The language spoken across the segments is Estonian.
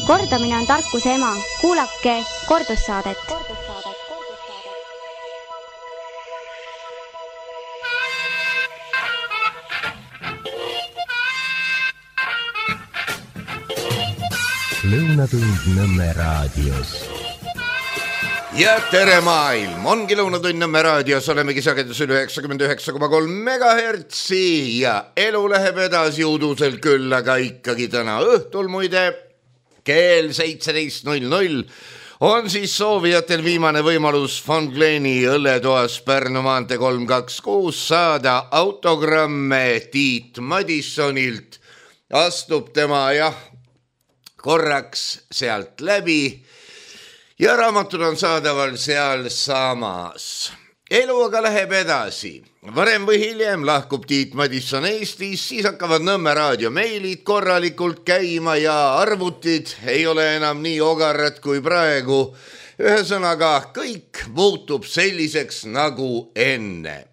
Kordamine on tarkuse ema. Kuulake kordussaadet. Lõunatund Nõmme raadios. Ja tere maailm, ongi Lõunatund Nõmme raadios, olemegi sagedusel 99,3 MHz ja elu läheb edasi udusel küll, aga ikkagi täna õhtul muide kell 17.00 on siis soovijatel viimane võimalus Von Gleni õlletoas Pärnu maantee 326 saada autogramme Tiit Madissonilt. Astub tema korraks sealt läbi ja raamatud on saadaval seal samas. Elu aga läheb edasi. Varem või hiljem lahkub Tiit Madisson Eestis, siis hakkavad Nõmme raadio meilid korralikult käima ja arvutid ei ole enam nii ogarad kui praegu. Ühesõnaga, kõik muutub selliseks nagu enne.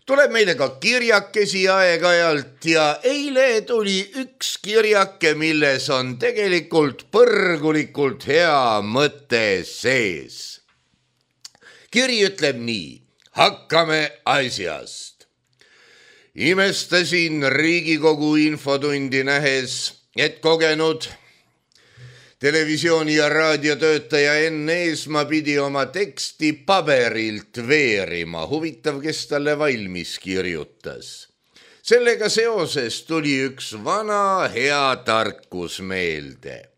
Tuleb meile ka kirjakesi aeg-ajalt ja eile tuli üks kirjake, milles on tegelikult põrgulikult hea mõte sees. Kiri ütleb nii, hakkame asjast. Imestasin Riigikogu infotundi nähes, et kogenud televisiooni- ja raadiotöötaja Enn Eesmaa pidi oma teksti paberilt veerima. Huvitav, kes talle valmis kirjutas. Sellega seoses tuli üks vana hea tarkus meelde.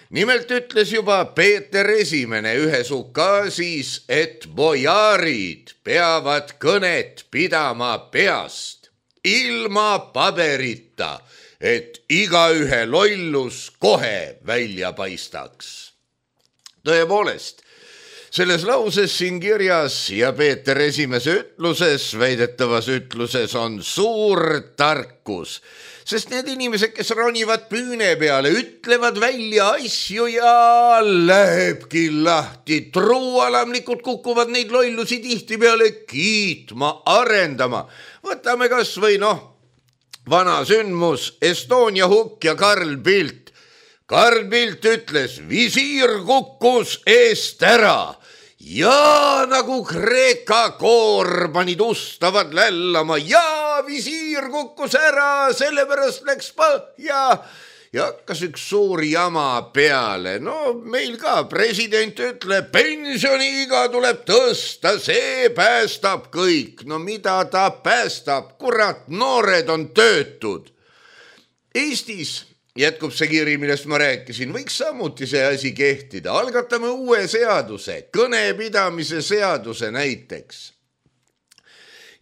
Nimelt ütles juba Peeter Esimene ühes ukaasis, et bojaarid peavad kõnet pidama peast, ilma paberita, et igaühe lollus kohe välja paistaks. Tõepoolest, selles lauses siin kirjas ja Peeter Esimese ütluses, väidetavas ütluses on suur tarkus, sest need inimesed, kes ronivad püüne peale, ütlevad välja asju ja lähebki lahti. Truualamlikud kukuvad neid lollusi tihti peale kiitma, arendama. Võtame kas või vana sündmus, Estonia hukk ja Karl Pilt. Karl Pilt ütles, visiir kukkus eest ära ja nagu Kreeka koor panid ustavad lällama ja visiir kukkus ära, sellepärast läks põhja ja hakkas üks suur jama peale. Meil ka president ütleb, pensioniiga tuleb tõsta, see päästab kõik. Mida ta päästab? Kurat, noored on töötud. Eestis, jätkub see kiri, millest ma rääkisin, võiks samuti see asi kehtida. Algatame uue seaduse, kõnepidamise seaduse näiteks.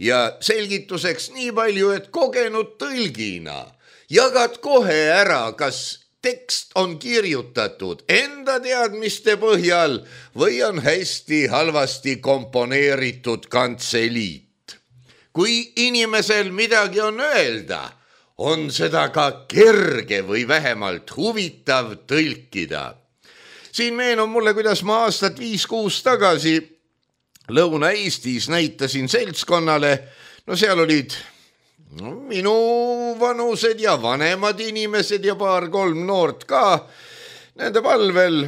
Ja selgituseks nii palju, et kogenud tõlgina jagad kohe ära, kas tekst on kirjutatud enda teadmiste põhjal või on hästi halvasti komponeeritud kantseliit. Kui inimesel midagi on öelda, on seda ka kerge või vähemalt huvitav tõlkida. Siin meenub mulle, kuidas ma aastat 5-6 tagasi Lõuna-Eestis näitasin seltskonnale, seal olid minu vanused ja vanemad inimesed ja 2-3 noort ka. Nende palvel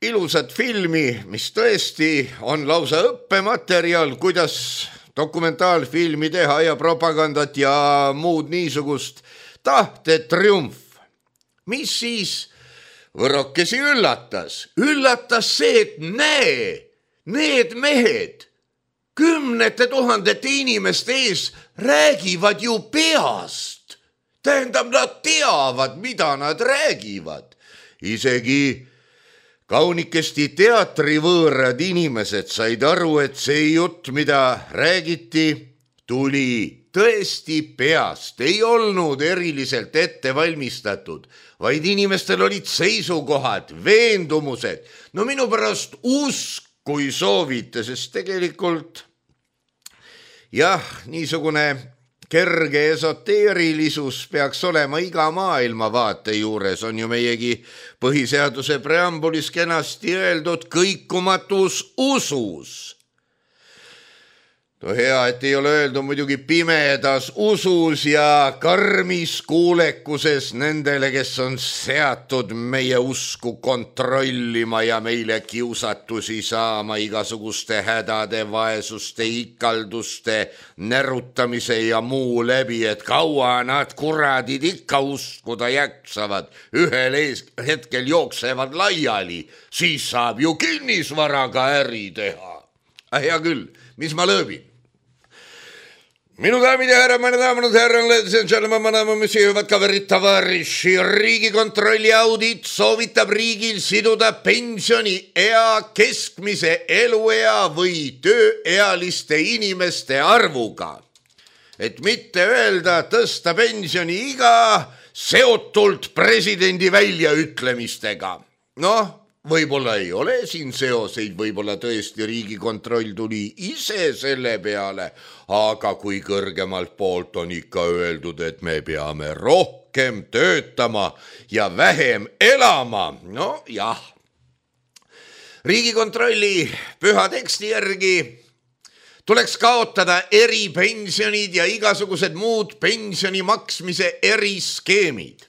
ilusat filmi, mis tõesti on lausa õppematerjal, kuidas dokumentaalfilmi teha ja propagandat ja muud niisugust. Tahtetriumf. Mis siis võrokesi üllatas? Üllatas see, et need mehed 10 000 inimeste ees räägivad ju peast. Tähendab, nad teavad, mida nad räägivad. Isegi kaunikesti teatrivõõrad inimesed said aru, et see jutt, mida räägiti, tuli tõesti peast. Ei olnud eriliselt ette valmistatud, vaid inimestel olid seisukohad, veendumused. Minu pärast usk, kui soovite, sest tegelikult niisugune kerge esoteerilisus peaks olema iga maailmavaate juures, on ju meiegi põhiseaduse preambulis kenasti öeldud kõikumatus usus. Hea, et ei ole öeldud muidugi pimedas usus ja karmis kuulekuses nendele, kes on seatud meie usku kontrollima ja meile kiusatusi saama igasuguste hädade, vaesuste, ikalduste, närutamise ja muu läbi, et kaua nad kuradid ikka uskuda jaksavad, ühel hetkel jooksevad laiali, siis saab ju kinnisvaraga äri teha. Hea küll, mis ma lõõbin? Minu daamid ja härrad, meine daamid ja härrad, ladies and gentlemen, monsieur, kaverid, tavariši. Riigikontrolli audit soovitab riigil siduda pensioniea keskmise eluea või tööealiste inimeste arvuga. Et mitte öelda tõsta pensioniiga seotult presidendi väljaütlemistega. Noh, võib-olla ei ole siin seoseid, võib-olla tõesti Riigikontroll tuli ise selle peale, aga kui kõrgemalt poolt on ikka öeldud, et me peame rohkem töötama ja vähem elama, no jah. Riigikontrolli püha teksti järgi tuleks kaotada eripensionid ja igasugused muud pensioni maksmise eriskeemid.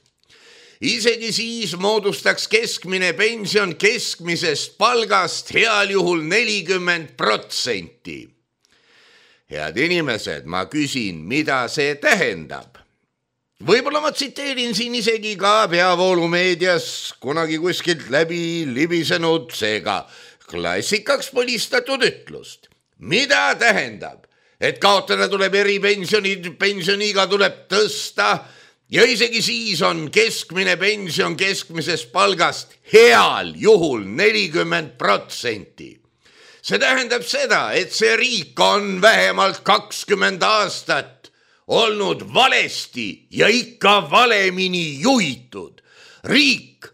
Isegi siis moodustaks keskmine pension keskmisest palgast heal juhul 40%. Head inimesed, ma küsin, mida see tähendab? Võib-olla ma tsiteerin siin isegi ka peavoolumeedias kunagi kuskilt läbi libisenud, seega klassikaks põlistatud ütlust. Mida tähendab, et kaotada tuleb eripensionid, pensioniiga tuleb tõsta, ja isegi siis on keskmine pension keskmisest palgast heal juhul 40%. See tähendab seda, et see riik on vähemalt 20 aastat olnud valesti ja ikka valemini juhitud. Riik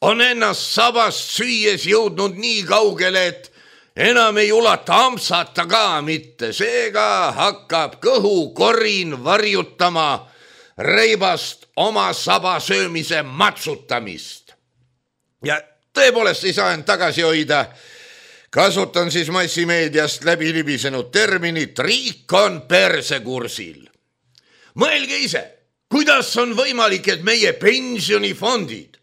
on ennast sabast süües jõudnud nii kaugele, et enam ei ulata ampsata ka mitte. Seega hakkab kõhukorin varjutama reibast oma saba söömise matsutamist. Ja tõepoolest ei saa end tagasi hoida. Kasutan siis massimeediast läbi libisenud terminit, riik on persekursil. Mõelge ise, kuidas on võimalik, et meie pensionifondid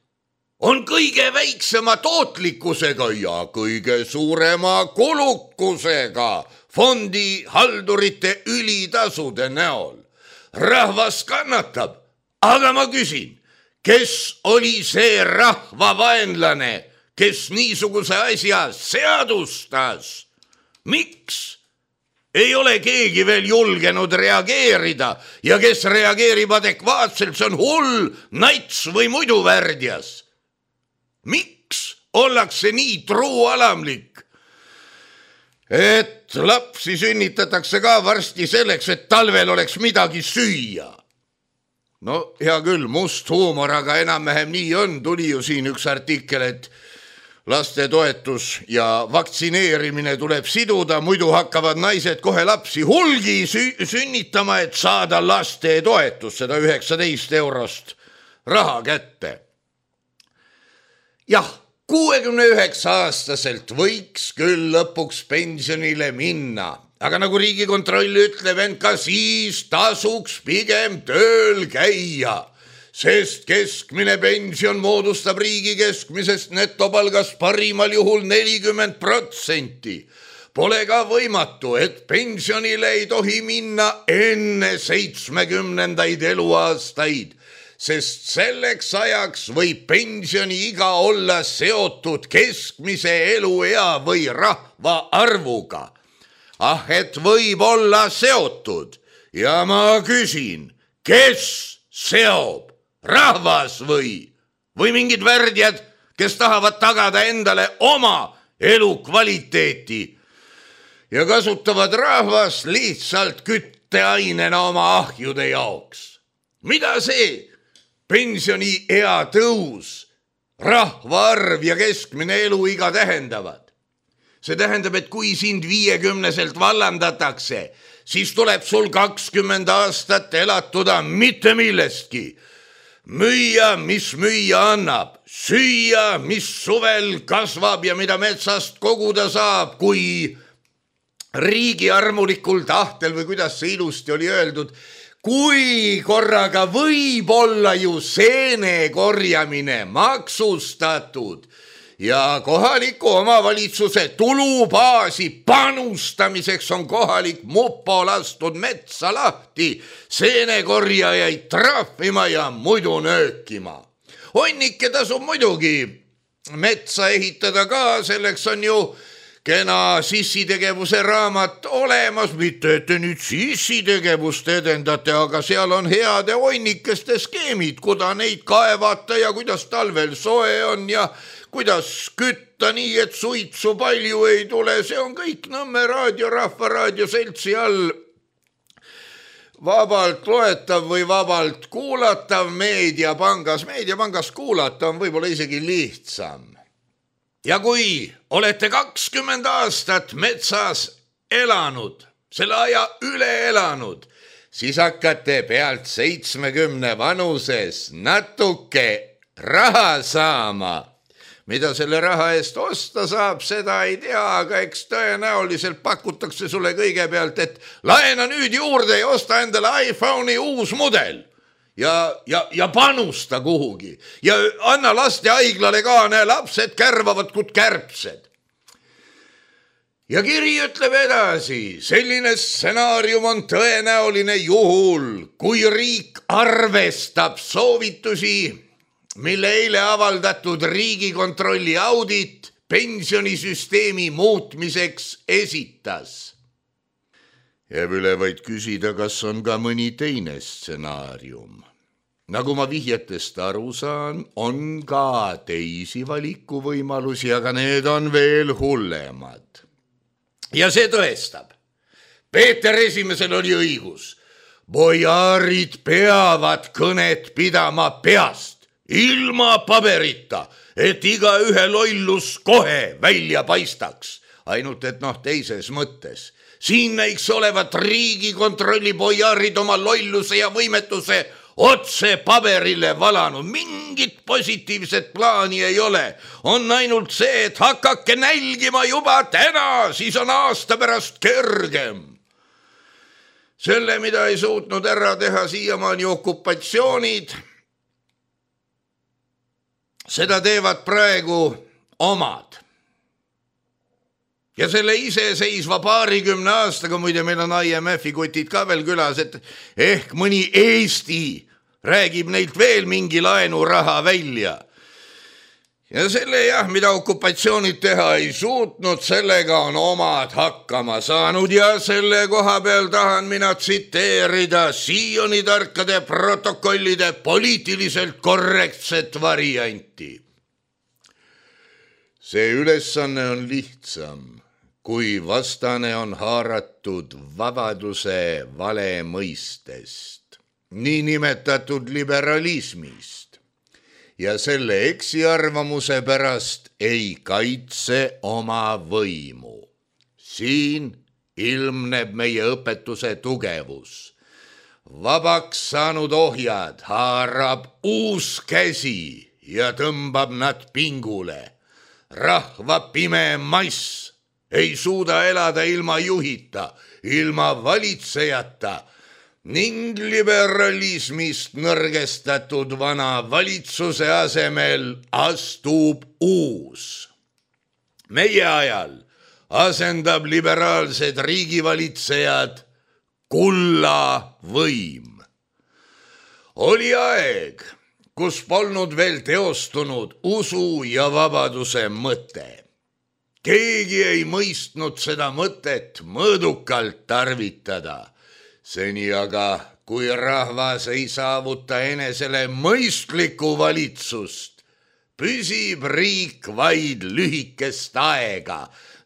on kõige väiksema tootlikkusega ja kõige suurema kulukusega fondi haldurite ülitasude näol. Rahvas kannatab, aga ma küsin, kes oli see rahvavaenlane, kes niisuguse asja seadustas? Miks ei ole keegi veel julgenud reageerida ja kes reageerib adekvaatselt, see on hull, nats või muidu värdjas? Miks ollakse nii truualamlik? Et lapsi sünnitatakse ka varsti selleks, et talvel oleks midagi süüa. No hea küll, must huumor, aga enam-vähem nii on. Tuli ju siin üks artikkel, et lastetoetus ja vaktsineerimine tuleb siduda, muidu hakkavad naised kohe lapsi hulgi sünnitama, et saada lastetoetust, seda 19 eurost raha kätte. Jah, 69-aastaselt võiks küll lõpuks pensionile minna, aga nagu Riigikontroll ütleb, ent ka siis tasuks pigem tööl käia, sest keskmine pension moodustab riigi keskmisest netopalgast parimal juhul 40%. Pole ka võimatu, et pensionile ei tohi minna enne 70. eluaastaid, sest selleks ajaks võib pensioniiga olla seotud keskmise eluea või rahva arvuga. Ah, et võib olla seotud ja ma küsin, kes seob, rahvas või mingid värdjad, kes tahavad tagada endale oma elukvaliteeti ja kasutavad rahvast lihtsalt kütteainena oma ahjude jaoks. Mida see pensioniea tõus, rahvaarv ja keskmine eluiga tähendavad? See tähendab, et kui sind 50-selt vallandatakse, siis tuleb sul 20 aastat elatuda mitte millestki. Müüa, mis müüa annab, süüa, mis suvel kasvab ja mida metsast koguda saab, kui riigi armulikul tahtel või kuidas see ilusti oli öeldud, kui korraga võib olla ju seene korjamine maksustatud ja kohaliku omavalitsuse tulubaasi panustamiseks on kohalik mupo lastud metsa lahti, seenekorjajaid trahvima ja muidu nöökima. Honnike tasub muidugi metsa ehitada ka, selleks on ju kena sissitegevuse raamat olemas, mitte et te nüüd sissitegevust edendate, aga seal on heade honnikeste skeemid, kuda neid kaevata ja kuidas talvel soe on ja kuidas kütta nii, et suitsu palju ei tule, see on kõik Nõmme raadio, Rahvaraadio seltsi all vabalt loetav või vabalt kuulatav Meediapangas. Meediapangas kuulata on võib-olla isegi lihtsam. Ja kui olete 20 aastat metsas elanud, selle aja üle elanud, siis hakkate pealt 70 vanuses natuke raha saama. Mida selle raha eest osta saab, seda ei tea, aga eks tõenäoliselt pakutakse sulle kõigepealt, et laena nüüd juurde ja osta endale iPhone'i uus mudel ja panusta kuhugi ja anna lastehaiglale ka, näe, lapsed kärvavad kui kärbsed. Ja kiri ütleb edasi, selline stsenaarium on tõenäoline juhul, kui riik arvestab soovitusi, mille eile avaldatud Riigikontrolli audit pensionisüsteemi muutmiseks esitas. Jääb üle vaid küsida, kas on ka mõni teine stsenaarium. Nagu ma vihjetest aru saan, on ka teisi valikuvõimalusi, aga need on veel hullemad. Ja see tõestab. Peeter Esimesel oli õigus. Bojaarid peavad kõnet pidama peast. Ilma paberita, et igaühe lollus kohe välja paistaks, ainult et teises mõttes. Siin näiks olevat Riigikontrolli bojaarid oma lolluse ja võimetuse otse paberile valanud. Mingit positiivset plaani ei ole. On ainult see, et hakake nälgima juba täna, siis on aasta pärast kergem. Selle, mida ei suutnud ära teha siiamaani okupatsioonid, seda teevad praegu omad. Ja selle iseseisva 20 aastaga, muide meil on IMF-i kutid ka veel külas, et ehk mõni Eesti räägib neilt veel mingi laenuraha välja. Ja selle mida okupatsioonid teha ei suutnud, sellega on omad hakkama saanud ja selle koha peal tahan mina tsiteerida Sioni tarkade protokollide poliitiliselt korrektset varianti. See ülesanne on lihtsam, kui vastane on haaratud vabaduse vale mõistest, niinimetatud liberalismist. Ja selle eksiarvamuse pärast ei kaitse oma võimu. Siin ilmneb meie õpetuse tugevus. Vabaks saanud ohjad haarab uus käsi ja tõmbab nad pingule. Rahva pime mass ei suuda elada ilma juhita, ilma valitsejata, ning liberalismist nõrgestatud vana valitsuse asemel astub uus. Meie ajal asendab liberaalsed riigivalitsejad kulla võim. Oli aeg, kus polnud veel teostunud usu ja vabaduse mõte. Keegi ei mõistnud seda mõtet mõõdukalt tarvitada. Seni aga, kui rahvas ei saavuta enesele mõistlikku valitsust, püsib riik vaid lühikest aega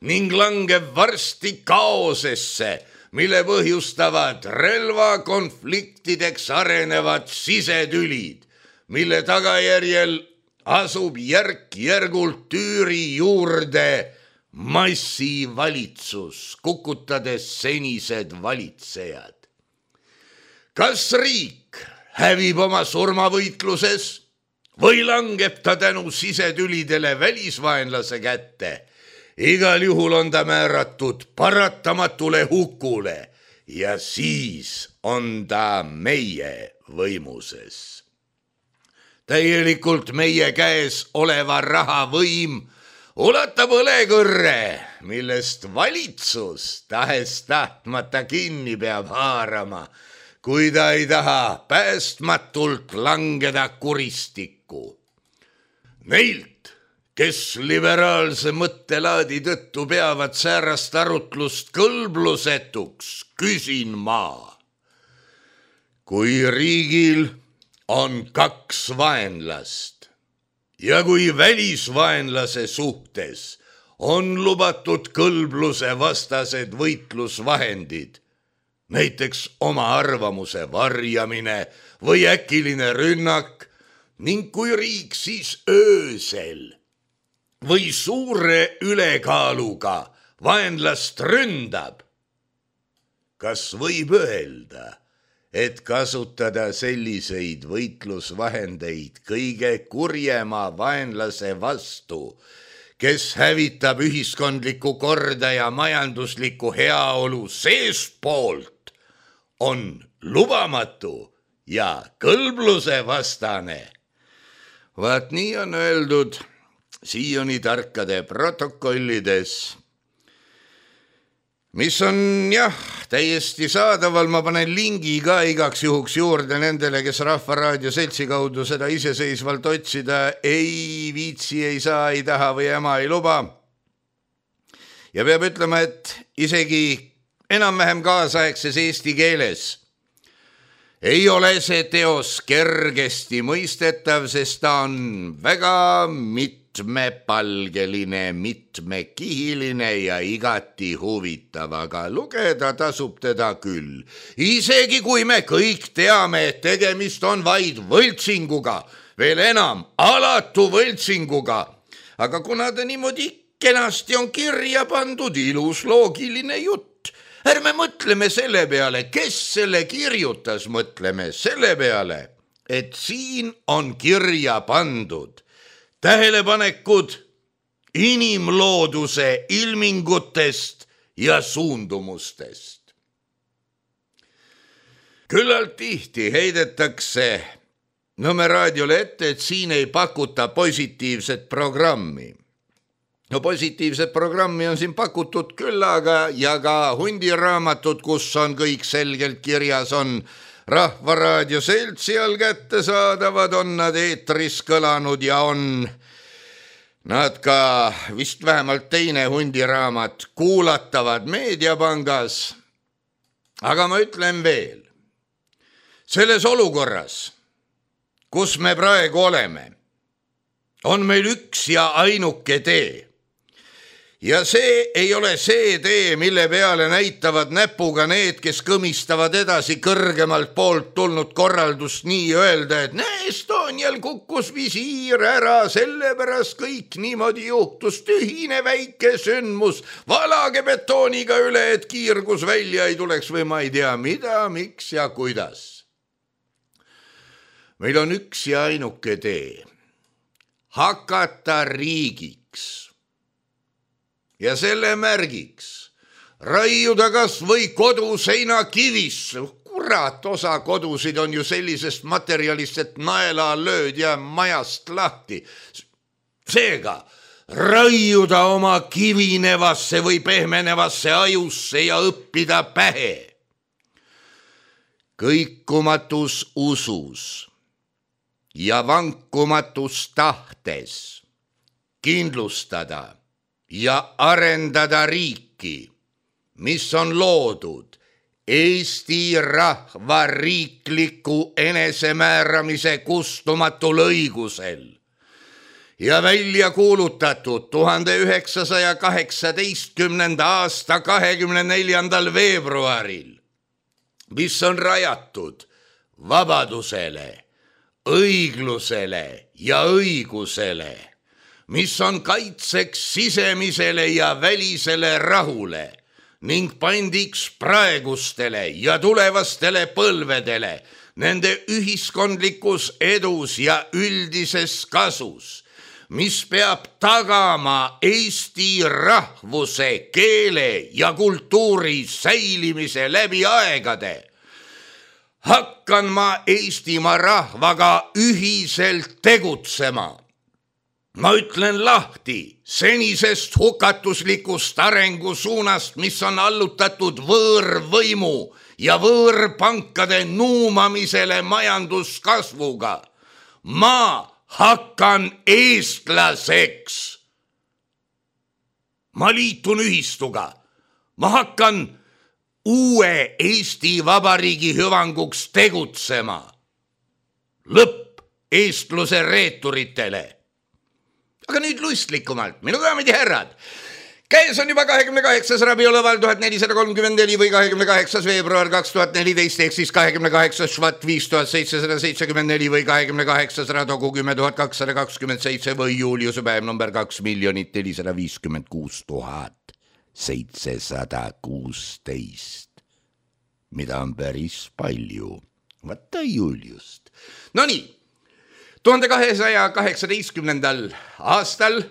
ning langeb varsti kaosesse, mille põhjustavad relvakonfliktideks arenevad sisetülid, mille tagajärjel asub järk-järgult tüüri juurde massivalitsus, kukutades senised valitsejad. Kas riik hävib oma surmavõitluses või langeb ta tänu sisetülidele välisvaenlase kätte igal juhul on ta määratud paratamatule hukule ja siis on ta meie võimuses. Täielikult meie käes oleva rahavõim ulatab õlekõrre, millest valitsus tahes-tahtmata kinni peab haarama, kui ta ei taha päästmatult langeda kuristikku. Neilt, kes liberaalse mõttelaadi tõttu peavad säärast arutlust kõlblusetuks, küsin ma. Kui riigil on 2 vaenlast ja kui välisvaenlase suhtes on lubatud kõlbluse vastased võitlusvahendid, näiteks oma arvamuse varjamine või äkiline rünnak, ning kui riik siis öösel või suure ülekaaluga vaenlast ründab, kas võib öelda, et kasutada selliseid võitlusvahendeid kõige kurjema vaenlase vastu, kes hävitab ühiskondlikku korda ja majanduslikku heaolu seestpoolt, on lubamatu ja kõlbluse vastane? Vaat nii on öeldud siiani tarkade protokollides, mis on täiesti saadaval. Ma panen lingi ka igaks juhuks juurde nendele, kes Rahvaraadio seltsi kaudu seda iseseisvalt otsida ei viitsi, ei saa, ei taha või ema ei luba. Ja peab ütlema, et isegi enam-vähem kaasaegses eesti keeles ei ole see teos kergesti mõistetav, sest ta on väga mitmepalgeline, mitmekihiline ja igati huvitav, aga lugeda tasub teda küll. Isegi kui me kõik teame, et tegemist on vaid võltsinguga, veel enam alatu võltsinguga, aga kuna ta niimoodi kenasti on kirja pandud, ilus loogiline jutt, ärme mõtleme selle peale, kes selle kirjutas, mõtleme selle peale, et siin on kirja pandud tähelepanekud inimlooduse ilmingutest ja suundumustest. Küllalt tihti heidetakse Nõmme raadiole ette, et siin ei pakuta positiivset programmi. No positiivset programmi on siin pakutud küll, aga ja ka hundiraamatut, kus on kõik selgelt kirjas, on Rahvaraadio seltsi all kättesaadavad, on nad eetris kõlanud ja on nad ka vist vähemalt teine hundiraamat kuulatavad Meediapangas. Aga ma ütlen veel, selles olukorras, kus me praegu oleme, on meil üks ja ainuke tee. Ja see ei ole see tee, mille peale näitavad näpuga need, kes kõmistavad edasi kõrgemalt poolt tulnud korraldust nii öelda, et Estonial kukkus visiir ära, sellepärast kõik niimoodi juhtus, tühine väike sündmus, valage betooniga üle, et kiirgus välja ei tuleks või ma ei tea mida, miks ja kuidas. Meil on üks ja ainuke tee. Hakata riigiks. Ja selle märgiks raiuda kas või koduseina kivisse. Kurat, osa kodusid on ju sellisest materjalist, et naela lööd ja majast lahti. Seega raiuda oma kivinevasse või pehmenevasse ajusse ja õppida pähe. Kõikumatus usus ja vankumatus tahtes kindlustada ja arendada riiki, mis on loodud Eesti rahva riikliku enesemääramise kustumatul õigusel ja välja kuulutatud 1918. aasta 24. veebruaril, mis on rajatud vabadusele, õiglusele ja õigusele, mis on kaitseks sisemisele ja välisele rahule ning pandiks praegustele ja tulevastele põlvedele nende ühiskondlikus edus ja üldises kasus, mis peab tagama eesti rahvuse, keele ja kultuuri säilimise läbi aegade. Hakkan ma Eestimaa rahvaga ühiselt tegutsema. Ma ütlen lahti senisest hukatuslikust arengusuunast, mis on allutatud võõrvõimu ja võõrpankade nuumamisele majanduskasvuga. Ma hakkan eestlaseks. Ma liitun ühistuga. Ma hakkan uue Eesti Vabariigi hüvanguks tegutsema. Lõpp eestluse reeturitele. Aga nüüd lustlikumalt, minu daamid ja härrad. Käes on juba 28. rabioloval 1434 või 28. veebruar 2014 ehk siis 28. švat 5774 või 28. radogu 10227 või Juliuse päev number 2 456 716, mida on päris palju. Vaata Juliust. No nii. 1218. aastal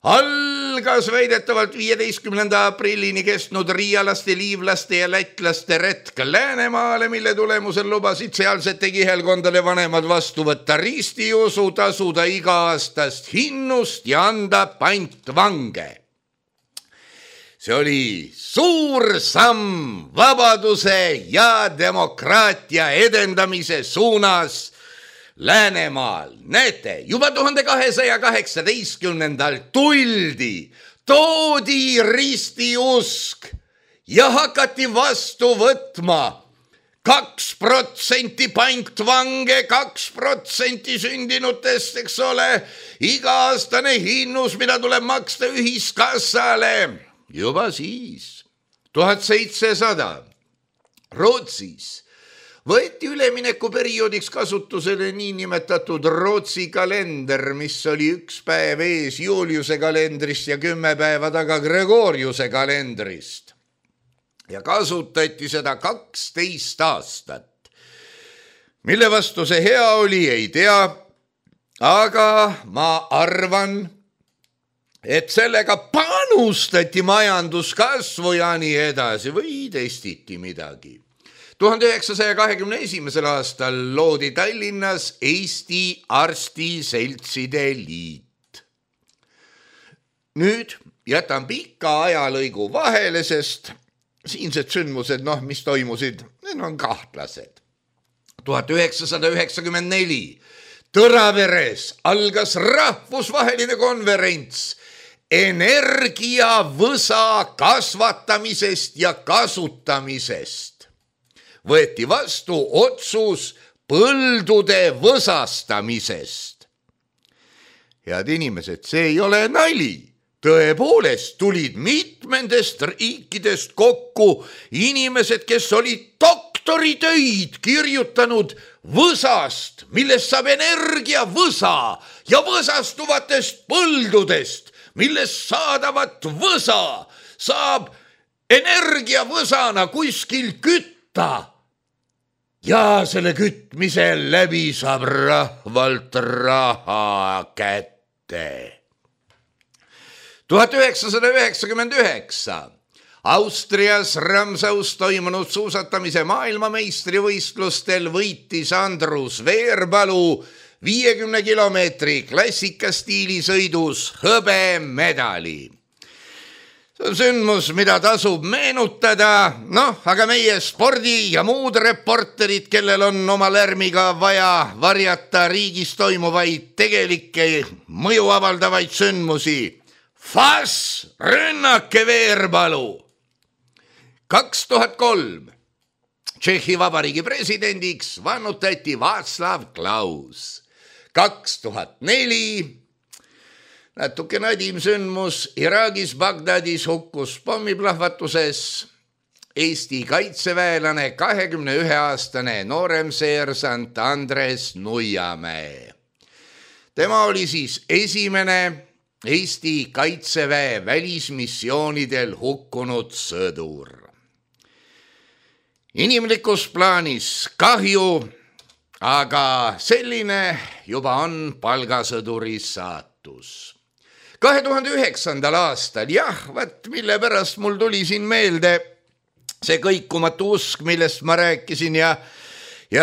algas väidetavalt 15. aprillini kestnud riialaste, liivlaste ja lätlaste retk Läänemaale, mille tulemusel lubasid sealsete kihelkondade vanemad vastu võtta ristiusu, tasuda iga-aastast hinnust ja anda pantvange. See oli suur samm vabaduse ja demokraatia edendamise suunas Läänemaal. Näete, juba 1218. toodi ristiusk ja hakati vastu võtma 2% pantvange, 2% sündinutest, eks ole, iga-aastane hinnus, mida tuleb maksta ühiskassale. Juba siis, 1700, Rootsis võeti üleminekuperioodiks kasutusele niinimetatud Rootsi kalender, mis oli 1 päev ees Juliuse kalendrist ja 10 päeva taga Gregoriuse kalendrist. Ja kasutati seda 12 aastat. Mille vastu see hea oli, ei tea, aga ma arvan, et sellega panustati majanduskasvu ja nii edasi või testiti midagi. 1921. aastal loodi Tallinnas Eesti Arstiseltside Liit. Nüüd jätan pika ajalõigu vahele, sest siinsed sündmused, mis toimusid, need on kahtlased. 1994 Tõraveres algas rahvusvaheline konverents energiavõsa kasvatamisest ja kasutamisest. Võeti vastu otsus põldude võsastamisest. Head inimesed, see ei ole nali. Tõepoolest tulid mitmendest riikidest kokku inimesed, kes olid doktoritöid kirjutanud võsast, millest saab energiavõsa ja võsastuvatest põldudest, millest saadavat võsa saab energiavõsana kuskil kütta. Ja selle kütmise läbi saab rahvalt raha kätte. 1999 Austrias Ramsaus toimunud suusatamise maailmameistrivõistlustel võitis Andrus Veerpalu 50 kilomeetri klassikastiilisõidus hõbemedali. See on sündmus, mida tasub meenutada, aga meie spordi ja muud reporterid, kellel on oma lärmiga vaja varjata riigis toimuvaid tegelikke mõju avaldavaid sündmusi. Fass, rünnake Veerpalu! 2003 Tšehhi Vabariigi presidendiks vannutati Václav Klaus. 2004 natuke nadim sündmus Iraagis Bagdadis hukkus pommiplahvatuses Eesti kaitseväelane 21-aastane nooremseersant Andres Nuiamäe. Tema oli siis esimene Eesti kaitseväe välismissioonidel hukkunud sõdur. Inimlikus plaanis kahju, aga selline juba on palgasõduri saat. õpetus. 2009. aastal, mille pärast mul tuli siin meelde see kõikumatu usk, millest ma rääkisin ja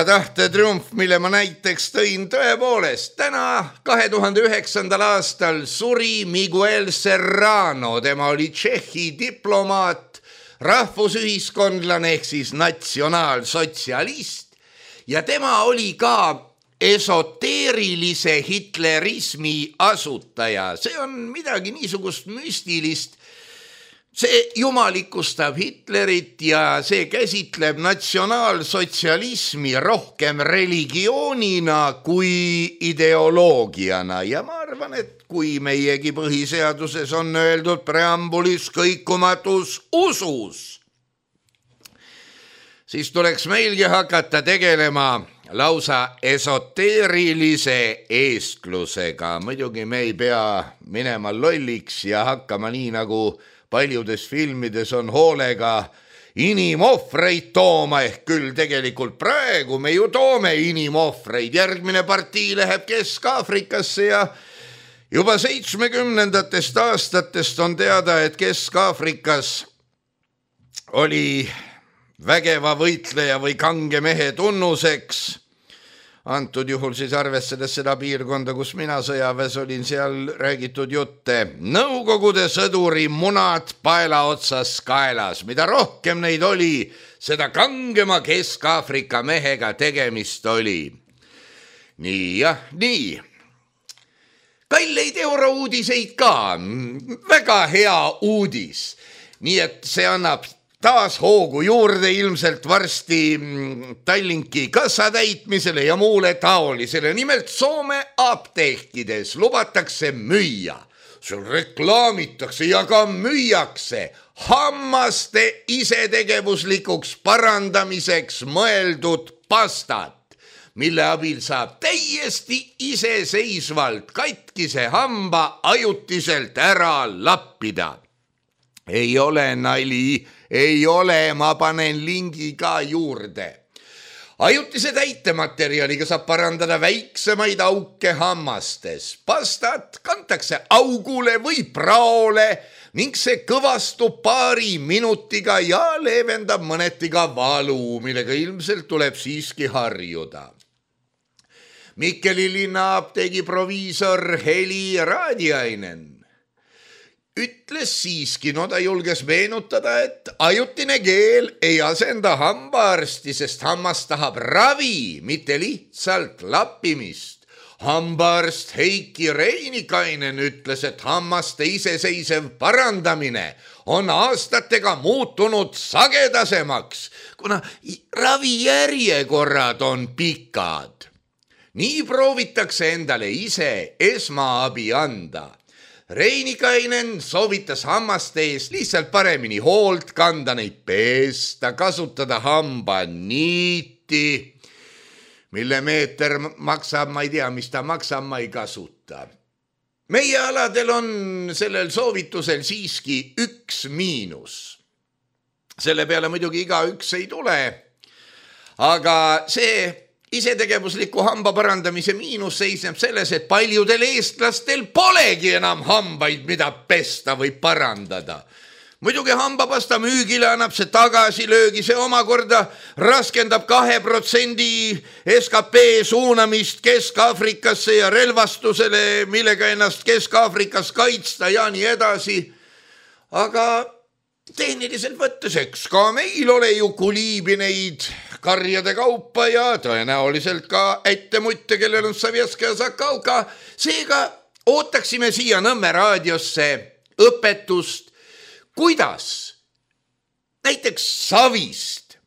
tahte-triumf, mille ma näiteks tõin, tõepoolest. Täna 2009. aastal suri Miguel Serrano, tema oli Tšehhi diplomaat, rahvusühiskondlane ehk siis natsionaalsotsialist ja tema oli ka esoteerilise hitlerismi asutaja. See on midagi niisugust müstilist. See jumalikustab Hitlerit ja see käsitleb natsionaalsotsialismi rohkem religioonina kui ideoloogiana. Ja ma arvan, et kui meiegi põhiseaduses on öeldud preambulis kõikumatus usus, siis tuleks meilgi hakata tegelema lausa esoteerilise eestlusega. Muidugi me ei pea minema lolliks ja hakkama nii nagu paljudes filmides on hoolega inimohvreid tooma, ehk küll tegelikult praegu me ju toome inimohvreid. Järgmine partii läheb Kesk-Aafrikasse ja juba 70. aastatest on teada, et Kesk-Aafrikas oli vägeva võitleja või kange mehe tunnuseks. Antud juhul siis arvestades seda piirkonda, kus mina sõjaväes olin, seal räägitud jutte. Nõukogude sõduri munad paela otsas kaelas. Mida rohkem neid oli, seda kangema Kesk-Aafrika mehega tegemist oli. Nii. Kalleid eurouudiseid ka. Väga hea uudis. Nii et see annab taas hoogu juurde ilmselt varsti Tallinki kassa täitmisele ja muule taolisele. Nimelt Soome apteekides lubatakse müüa. Seal reklaamitakse ja ka müüakse hammaste isetegevuslikuks parandamiseks mõeldud pastat, mille abil saab täiesti iseseisvalt katkise hamba ajutiselt ära lappida. Ei ole nali, ei ole, ma panen lingi ka juurde. Ajutise täitematerjaliga saab parandada väiksemaid auke hammastes. Pastat kantakse augule või praole ning see kõvastub paari minutiga ja leevendab mõneti ka valu, millega ilmselt tuleb siiski harjuda. Mikkeli linna apteegi proviisor Heli Raadiainen ütles siiski, ta julges meenutada, et ajutine keel ei asenda hambaarsti, sest hammas tahab ravi, mitte lihtsalt lappimist. Hambaarst Heiki Reinikainen ütles, et hammaste iseseisev parandamine on aastatega muutunud sagedasemaks, kuna ravijärjekorrad on pikad. Nii proovitakse endale ise esmaabi anda. Reinikainen soovitas hammaste eest lihtsalt paremini hoolt kanda, neid peesta, kasutada hambaniiti, mille meeter maksab, ma ei tea, mis ta maksab, ma ei kasuta. Meie aladel on sellel soovitusel siiski üks miinus. Selle peale muidugi igaüks ei tule, aga see isetegevusliku hamba parandamise miinus seisneb selles, et paljudel eestlastel polegi enam hambaid, mida pesta või parandada. Muidugi hambapasta müügile annab see tagasilöögi, see omakorda raskendab 2% SKP suunamist Kesk-Aafrikasse ja relvastusele, millega ennast Kesk-Aafrikas kaitsta ja nii edasi. Aga tehniliselt võttes, eks ka meil ole ju kuliibineid karjade kaupa ja tõenäoliselt ka ettemutte, kellel on Savjeska ja Zakauka. Seega ootaksime siia Nõmme raadiosse õpetust, kuidas näiteks savist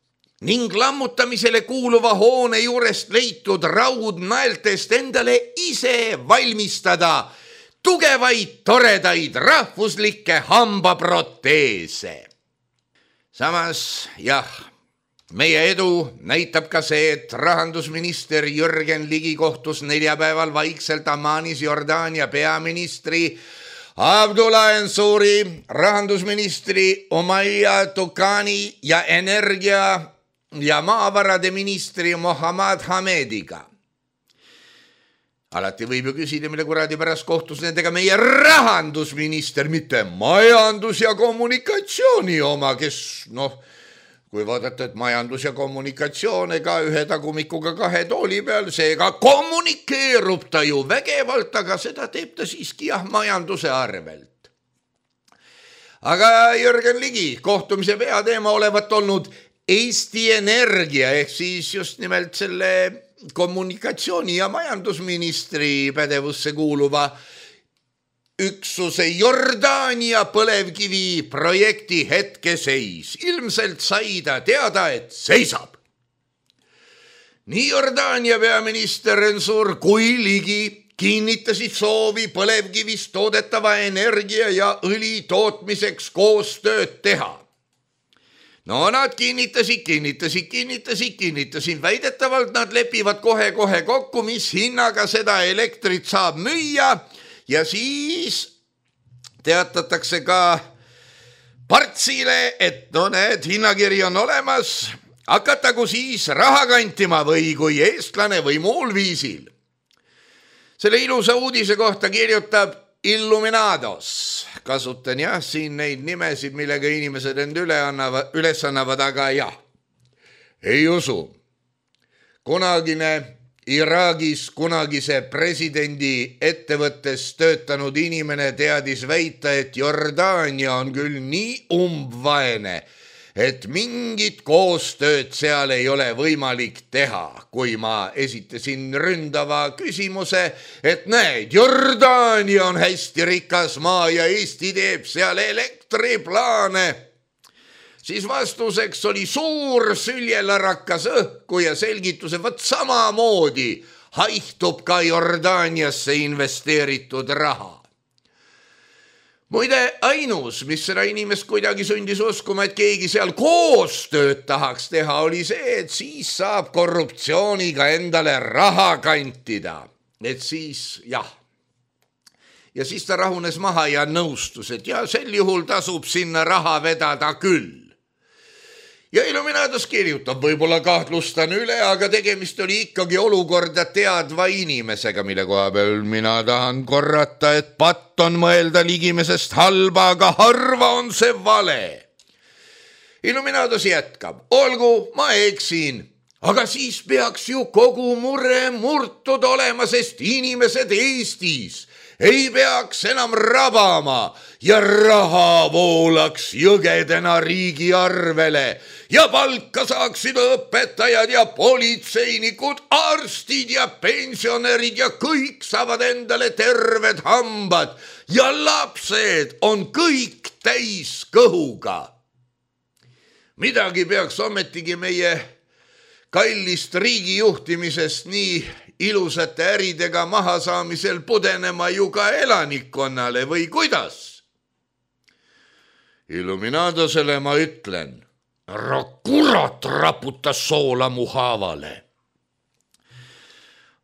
ning lammutamisele kuuluva hoone juurest leitud raudnaeltest endale ise valmistada tugevaid, toredaid rahvuslikke hambaproteese. Samas, meie edu näitab ka see, et rahandusminister Jürgen Ligi kohtus neljapäeval vaikselt Ammanis Jordaania peaministri Abdullah Ensuri, rahandusministri Umayya Tukani ja energia- ja maavarade ministri Mohammad Hamediga. Alati võib ju küsida, mille kuradi pärast kohtus nendega meie rahandusminister, mitte majandus- ja kommunikatsiooni oma, kes kui vaadata, et majandus ja kommunikatsioon ega ühe tagumikuga 2 tooli peal, seega kommunikeerub ta ju vägevalt, aga seda teeb ta siiski majanduse arvelt. Aga Jürgen Ligi kohtumise peateema olevat olnud Eesti Energia ehk siis just nimelt selle kommunikatsiooni- ja majandusministri pädevusse kuuluva üksuse Jordaania põlevkivi projekti hetkeseis. Ilmselt sai ta teada, et seisab. Nii Jordaania peaminister Ensur kui Ligi kinnitasid soovi põlevkivist toodetava energia ja õli tootmiseks koostööd teha. Nad kinnitasid. Väidetavalt nad lepivad kohe kokku, mis hinnaga seda elektrit saab müüa ja siis teatatakse ka Partsile, et näed, hinnakiri on olemas, hakatagu siis raha kantima või kui eestlane või muul viisil. Selle ilusa uudise kohta kirjutab Illuminados. Kasutan siin neid nimesid, millega inimesed end üles annavad, aga ei usu. Kunagine Iraagis kunagise presidendi ettevõttes töötanud inimene teadis väita, et Jordaania on küll nii umbvaene, et mingit koostööd seal ei ole võimalik teha. Kui ma esitasin ründava küsimuse, et näed, Jordaania on hästi rikas maa ja Eesti teeb seal elektriplaane, siis vastuseks oli suur süljelarakas õhku ja selgituse, võt samamoodi haihtub ka Jordaaniasse investeeritud raha. Muide, ainus, mis seda inimest kuidagi sundis uskuma, et keegi seal koostööd tahaks teha, oli see, et siis saab korruptsiooniga endale raha kantida. Et siis, Ja siis ta rahunes maha ja nõustus, et sel juhul tasub sinna raha vedada küll. Ja Illuminados kirjutab, võib-olla kahtlustan üle, aga tegemist oli ikkagi olukorda teadva inimesega, mille koha peal mina tahan korrata, et patt on mõelda ligimesest halba, aga harva on see vale. Illuminados jätkab, olgu, ma eksin, aga siis peaks ju kogu mure murtud olema, sest inimesed Eestis ei peaks enam rabama ja raha voolaks jõgedena riigi arvele ja palka saaksid õpetajad ja politseinikud, arstid ja pensionärid ja kõik saavad endale terved hambad ja lapsed on kõik täis kõhuga. Midagi peaks ometigi meie kallist riigi juhtimisest nii ilusate äridega mahasaamisel pudenema ju ka elanikkonnale või kuidas? Illuminadosele ma ütlen, kurat raputas soola mu haavale.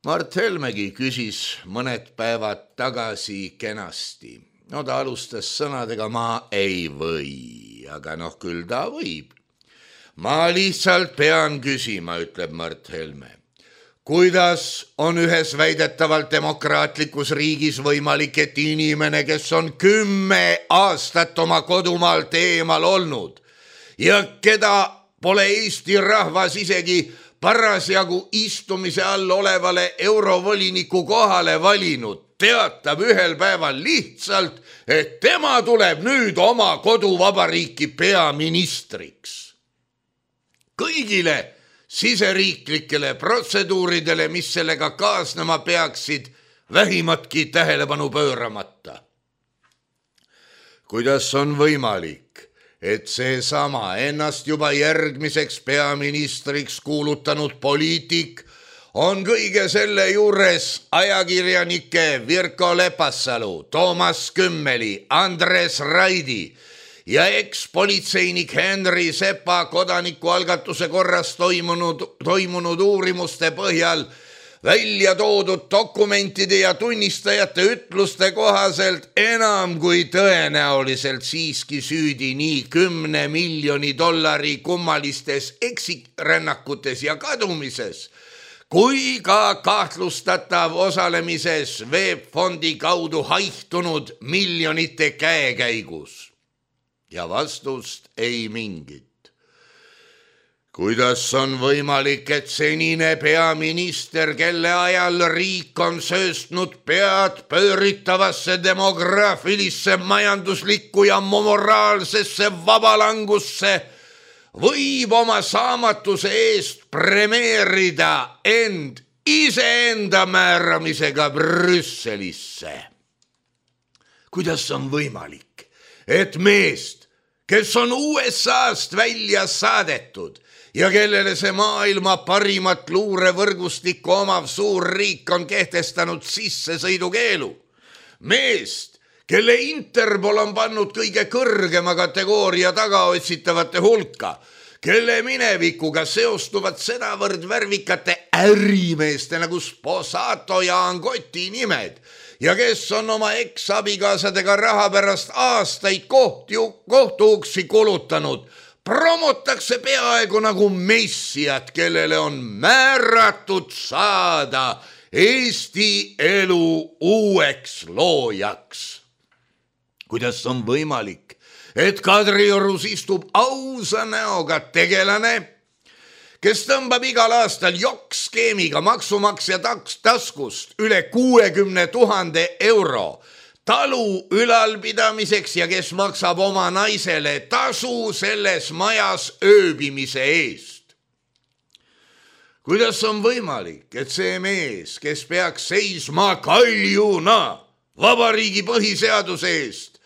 Mart Helmegi küsis mõned päevad tagasi kenasti. Ta alustas sõnadega, ma ei või, aga küll ta võib. Ma lihtsalt pean küsima, ütleb Mart Helme. Kuidas on ühes väidetavalt demokraatlikus riigis võimalik, et inimene, kes on 10 aastat oma kodumaalt eemal olnud ja keda pole Eesti rahvas isegi parasjagu istumise all olevale eurovoliniku kohale valinud, teatab ühel päeval lihtsalt, et tema tuleb nüüd oma koduvabariiki peaministriks. Kõigile siseriiklikele protseduuridele, mis sellega kaasnema peaksid, vähimatki tähelepanu pööramata. Kuidas on võimalik, et seesama ennast juba järgmiseks peaministriks kuulutanud poliitik on kõige selle juures ajakirjanike Virko Lepassalu, Toomas Kümmeli, Andres Raidi ja ekspolitseinik Henri Sepa kodanikualgatuse korras toimunud uurimuste põhjal välja toodud dokumentide ja tunnistajate ütluste kohaselt enam kui tõenäoliselt siiski süüdi nii 10 miljoni dollari kummalistes eksirännakutes ja kadumises, kui ka kahtlustatav osalemises VEB-fondi kaudu haihtunud miljonite käekäigus. Ja vastust ei mingit. Kuidas on võimalik, et senine peaminister, kelle ajal riik on sööstnud pead pööritavasse demograafilisse, majanduslikku ja moraalsesse vabalangusse, võib oma saamatuse eest premeerida end iseenda määramisega Brüsselisse? Kuidas on võimalik, et meest, kes on USA-st välja saadetud ja kellele see maailma parimat luurevõrgustikku omav suur riik on kehtestanud sissesõidukeelu, meest, kelle Interpol on pannud kõige kõrgema kategooria tagaotsitavate hulka, kelle minevikuga seostuvad sedavõrd värvikate ärimeeste nagu Sposato ja Angoti nimed ja kes on oma eksabikaasadega raha pärast aastaid kohtuuksi kulutanud, promotakse peaaegu nagu messiat, kellele on määratud saada Eesti elu uueks loojaks. Kuidas on võimalik, et Kadriorus istub ausa näoga tegelane, kes tõmbab igal aastal jokkskeemiga maksumaksja taskust üle 60 000 euro talu ülalpidamiseks ja kes maksab oma naisele tasu selles majas ööbimise eest? Kuidas on võimalik, et see mees, kes peaks seisma kaljuna vabariigi põhiseaduse eest,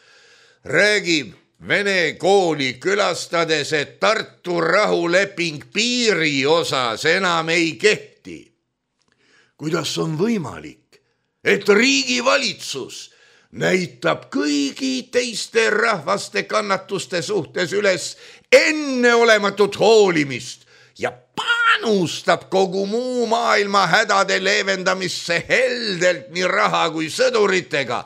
räägib Vene kooli külastades, et Tartu rahuleping piiri osas enam ei kehti? Kuidas on võimalik, et riigivalitsus näitab kõigi teiste rahvaste kannatuste suhtes üles enneolematut hoolimist ja panustab kogu muu maailma hädade leevendamisse heldelt nii raha kui sõduritega,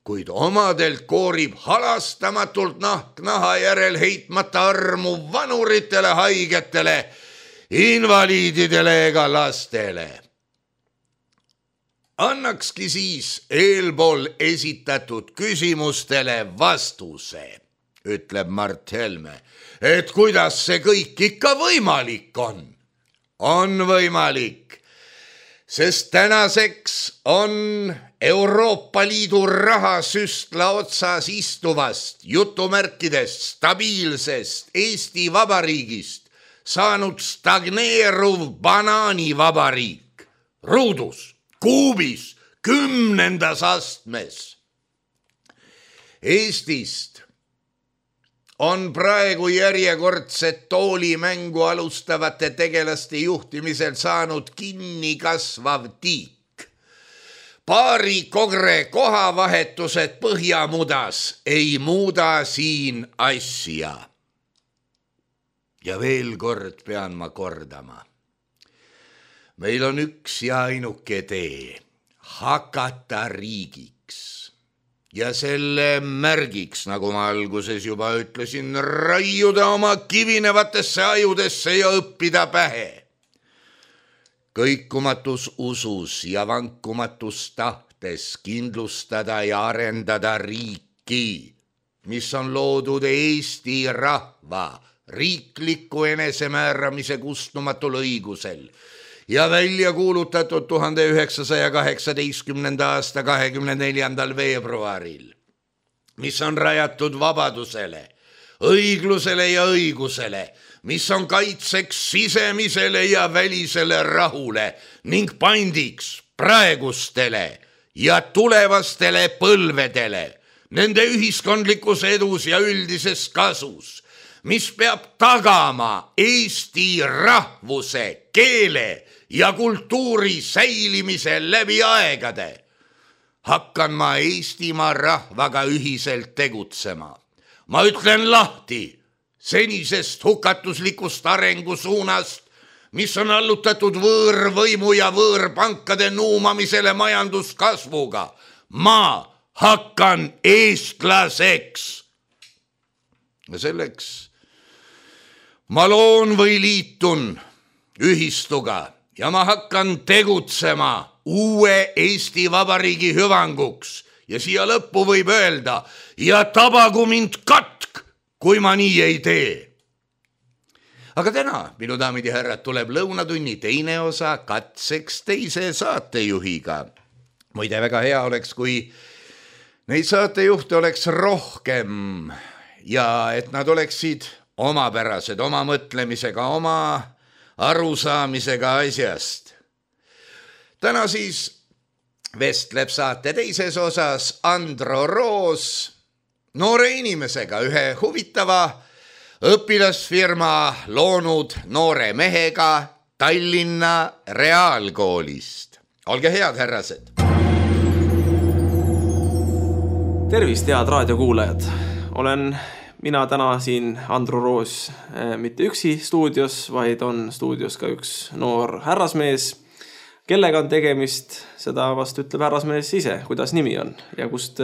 kuid omadelt koorib halastamatult nahk naha järel heitmata armu vanuritele, haigetele, invaliididele ega lastele? Annakski siis eelpool esitatud küsimustele vastuse, ütleb Mart Helme, et kuidas see kõik ikka võimalik on. On võimalik, sest tänaseks on Euroopa Liidu rahasüstla otsas istuvast jutumärkidest stabiilsest Eesti Vabariigist saanud stagneeruv banaanivabariik ruudus, kuubis, 10. astmes. Eestist on praegu järjekordset toolimängu alustavate tegelaste juhtimisel saanud kinni kasvav tiik. Paari kogre kohavahetused Põhjamudas ei muuda siin asja. Ja veel kord pean ma kordama. Meil on üks ja ainuke tee, hakata riigiks. Ja selle märgiks, nagu ma alguses juba ütlesin, raiuda oma kivinevatesse ajudesse ja õppida pähe. Kõikumatus usus ja vankumatus tahtes kindlustada ja arendada riiki, mis on loodud Eesti rahva riikliku enesemääramise kustumatul õigusel ja välja kuulutatud 1918. aasta 24. veebruaril, mis on rajatud vabadusele, õiglusele ja õigusele, mis on kaitseks sisemisele ja välisele rahule ning pandiks praegustele ja tulevastele põlvedele, nende ühiskondlikus edus ja üldises kasus, mis peab tagama Eesti rahvuse, keele ja kultuuri säilimise läbi aegade. Hakkan ma Eestimaa rahvaga ühiselt tegutsema. Ma ütlen lahti senisest hukatuslikust arengusuunast, mis on allutatud võõrvõimu ja võõrpankade nuumamisele majanduskasvuga. Ma hakkan eestlaseks. Ja selleks ma loon või liitun ühistuga ja ma hakkan tegutsema uue Eesti Vabariigi hüvanguks ja siia lõppu võib öelda ja tabagu mind katk, kui ma nii ei tee. Aga täna, minu daamid ja härrad, tuleb lõunatunni teine osa katseks teise saatejuhiga. Muide, väga hea oleks, kui neid saatejuhte oleks rohkem ja et nad oleksid omapärased, oma mõtlemisega, oma arusaamisega asjast. Täna siis vestleb saate teises osas Andro Roos noore inimesega, ühe huvitava õpilasfirma loonud noore mehega Tallinna Reaalkoolist. Olge head, härrased! Tervist, head raadiokuulajad! Olen mina täna siin Andro Roos mitte üksi stuudios, vaid on stuudios ka üks noor härrasmees. Kellega on tegemist, seda vast ütleb härrasmees ise, kuidas nimi on ja kust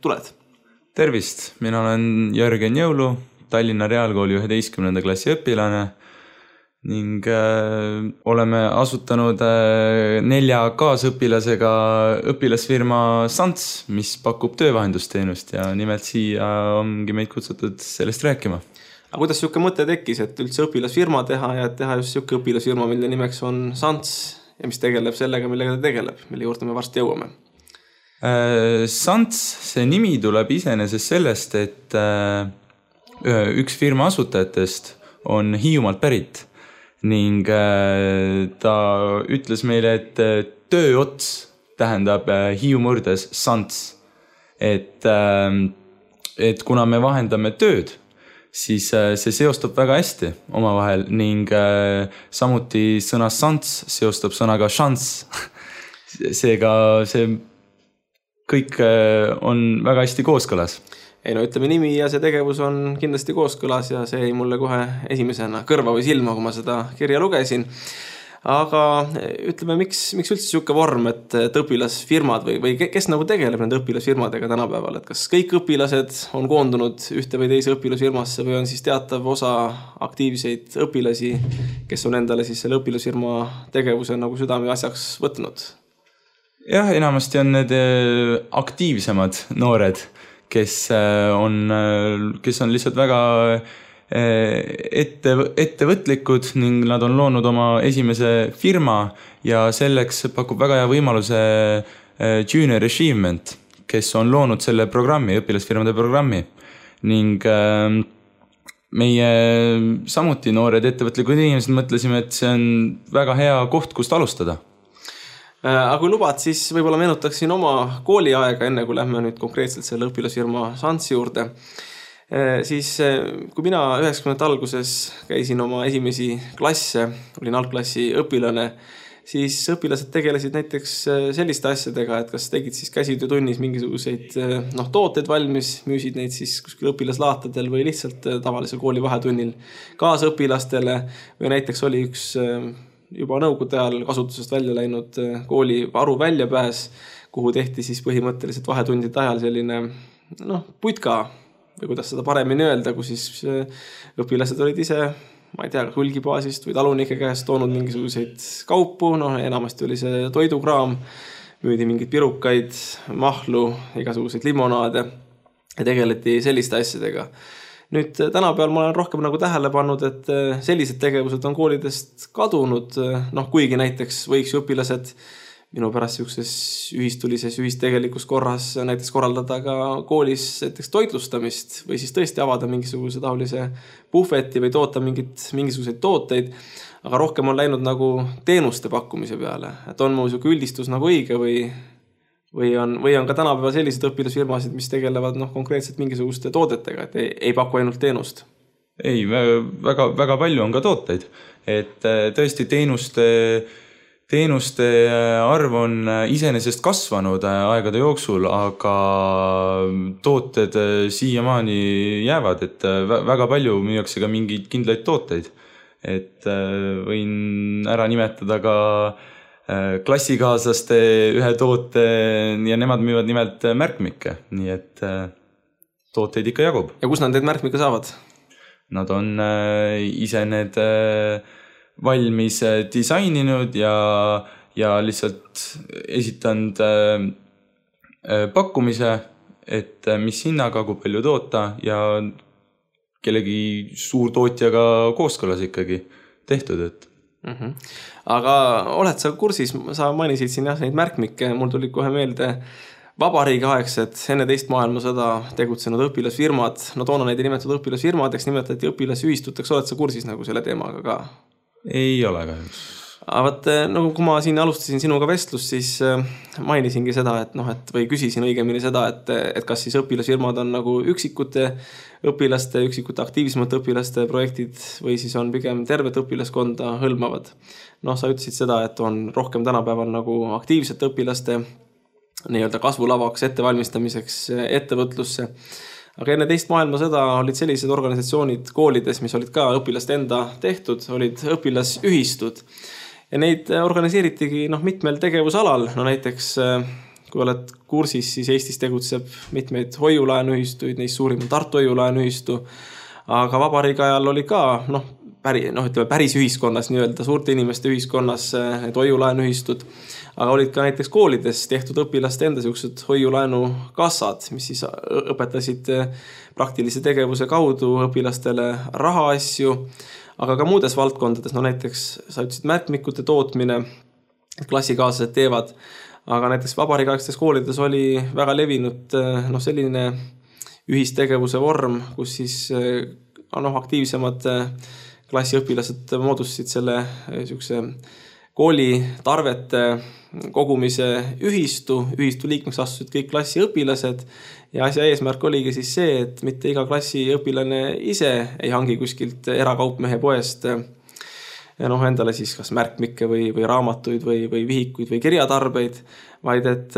tuled? Tervist, mina olen Jörgen Jõulu, Tallinna Reaalkooli 11. klassi õpilane ning oleme asutanud 4 kaasõpilasega õpilasfirma Sants, mis pakub töövahendusteenust ja nimelt siia ongi meid kutsutud sellest rääkima. Aga kuidas siuke mõte tekkis, et üldse õpilasfirma teha ja teha just siuke õpilasfirma, mille nimeks on Sants ja mis tegeleb sellega, millega ta tegeleb, mille juurde me varsti jõuame? Sants, see nimi tuleb iseenesest sellest, et üks firma asutajatest on Hiiumaalt pärit ning ta ütles meile, et tööots tähendab Hiiu mõrdes Sants. Et kuna me vahendame tööd, siis see seostub väga hästi omavahel ning samuti sõna Sants seostub sõnaga šans. Seega see kõik on väga hästi kooskõlas. Ei no ütleme nimi ja see tegevus on kindlasti kooskõlas ja see jäi mulle kohe esimesena kõrva või silma, kui ma seda kirja lugesin. Aga ütleme, miks üldse siuke vorm, et õpilasfirmad või kes nagu tegeleb nende õpilasfirmadega tänapäeval? Et kas kõik õpilased on koondunud ühte või teise õpilasfirmasse või on siis teatav osa aktiivseid õpilasi, kes on endale siis selle õpilasfirma tegevuse nagu südame asjaks võtnud? Jah, enamasti on need aktiivsemad noored, kes on lihtsalt väga ettevõtlikud ning nad on loonud oma esimese firma ja selleks pakub väga hea võimaluse Junior Achievement, kes on loonud selle programmi, õpilasfirmade programmi ning meie samuti noored ettevõtlikud inimesed mõtlesime, et see on väga hea koht, kust alustada. Aga kui lubad, siis võib-olla meenutaksin oma kooliaega, enne kui lähme nüüd konkreetselt selle õpilasfirma Sants juurde. Siis kui mina 90. alguses käisin oma esimesi klasse, olin algklassi õpilane, siis õpilased tegelesid näiteks selliste asjadega, et kas tegid siis käsitöötunnis mingisuguseid tooteid valmis, müüsid neid siis kuskil õpilaslaatadel või lihtsalt tavalisel kooli vahetunnil kaasõpilastele või näiteks oli üks juba nõukogude ajal kasutusest välja läinud kooli varu väljapääs, kuhu tehti siis põhimõtteliselt vahetundide ajal selline putka või kuidas seda paremini öelda, kus siis õpilased olid ise, ma ei tea, hulgibaasist või talunike käest toonud mingisuguseid kaupu, enamasti oli see toidukraam, müüdi mingeid pirukaid, mahlu, igasuguseid limonaade ja tegeleti selliste asjadega. Nüüd tänapäeval ma olen rohkem nagu tähele pannud, et sellised tegevused on koolidest kadunud, kuigi näiteks võiks ju õpilased minu pärast siukses ühistulises, ühistegelikus korras näiteks korraldada ka koolis näiteks toitlustamist või siis tõesti avada mingisuguse taolise puhveti või toota mingisuguseid tooteid, aga rohkem on läinud nagu teenuste pakkumise peale, et on mu siuke üldistus nagu õige või on ka tänapäeval sellised õpilasfirmasid, mis tegelevad konkreetselt mingisuguste toodetega, et ei paku ainult teenust? Ei, väga palju on ka tooteid. Et tõesti teenuste arv on iseenesest kasvanud aegade jooksul, aga tooted siiamaani jäävad, et väga palju müüakse ka mingeid kindlaid tooteid. Et võin ära nimetada ka klassikaaslaste ühe toote ja nemad müüvad nimelt märkmikke, nii et tooteid ikka jagub. Ja kus nad need märkmikke saavad? Nad on ise need valmis disaininud ja lihtsalt esitanud pakkumise, et mis hinnaga, kui palju toota ja kellegi suurtootjaga kooskõlas ikkagi tehtud, et Aga oled sa kursis, sa mainisid siin neid märkmikke, mul tuli kohe meelde vabariigiaegsed enne teist maailmasõda tegutsenud õpilasfirmad, no toona neid ei nimetatud õpilasfirmadeks, nimetati õpilasühistuteks, oled sa kursis nagu selle teemaga ka? Ei ole kahjuks. Aga nagu kui ma siin alustasin sinuga vestlust, siis mainisingi seda, või küsisin õigemini seda, et kas siis õpilasfirmad on nagu üksikute aktiivsemate õpilaste projektid või siis on pigem tervet õpilaskonda hõlmavad. Sa ütlesid seda, et on rohkem tänapäeval nagu aktiivsete õpilaste nii-öelda kasvulavaks ettevalmistamiseks ettevõtlusse. Aga enne teist maailmasõda olid sellised organisatsioonid koolides, mis olid ka õpilaste enda tehtud, olid õpilasühistud. Ja neid organiseeritigi mitmel tegevusalal. Näiteks, kui oled kursis, siis Eestis tegutseb mitmeid hoiulaenuühistuid, neist suurim on Tartu hoiulaenuühistu. Aga vabariigi ajal oli ka päris ühiskonnas, nii-öelda suurte inimeste ühiskonnas need hoiulaenuühistud. Aga olid ka näiteks koolides tehtud õpilaste enda sellised hoiulaenukassad, mis siis õpetasid praktilise tegevuse kaudu õpilastele rahaasju, aga ka muudes valdkondades, näiteks sa ütlesid märkmikute tootmine, klassikaaslased teevad, aga näiteks vabariigiaegstes koolides oli väga levinud selline ühistegevuse vorm, kus siis aktiivsemad klassiõpilased moodustasid selle kooli tarvete kogumise ühistu liikmeks astusid kõik klassiõpilased ja asja eesmärk oligi siis see, et mitte iga klassiõpilane ise ei hangi kuskilt erakaupmehe poest endale siis kas märkmikke või raamatuid või vihikuid või kirjatarbeid, vaid et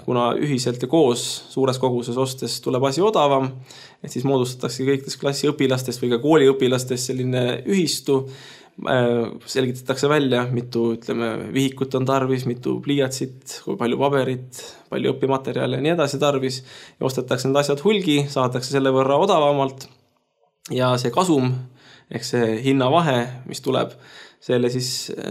kuna ühiselt ja koos suures koguses ostes tuleb asi odavam, et siis moodustatakse kõikidest klassiõpilastest või ka kooliõpilastest selline ühistu, selgitatakse välja, mitu vihikut on tarvis, mitu pliiatsit, kui palju paberit, palju õpimaterjale ja nii edasi tarvis ja ostetakse need asjad hulgi, saadakse selle võrra odavamalt ja see kasum ehk see hinnavahe, mis tuleb, selle siis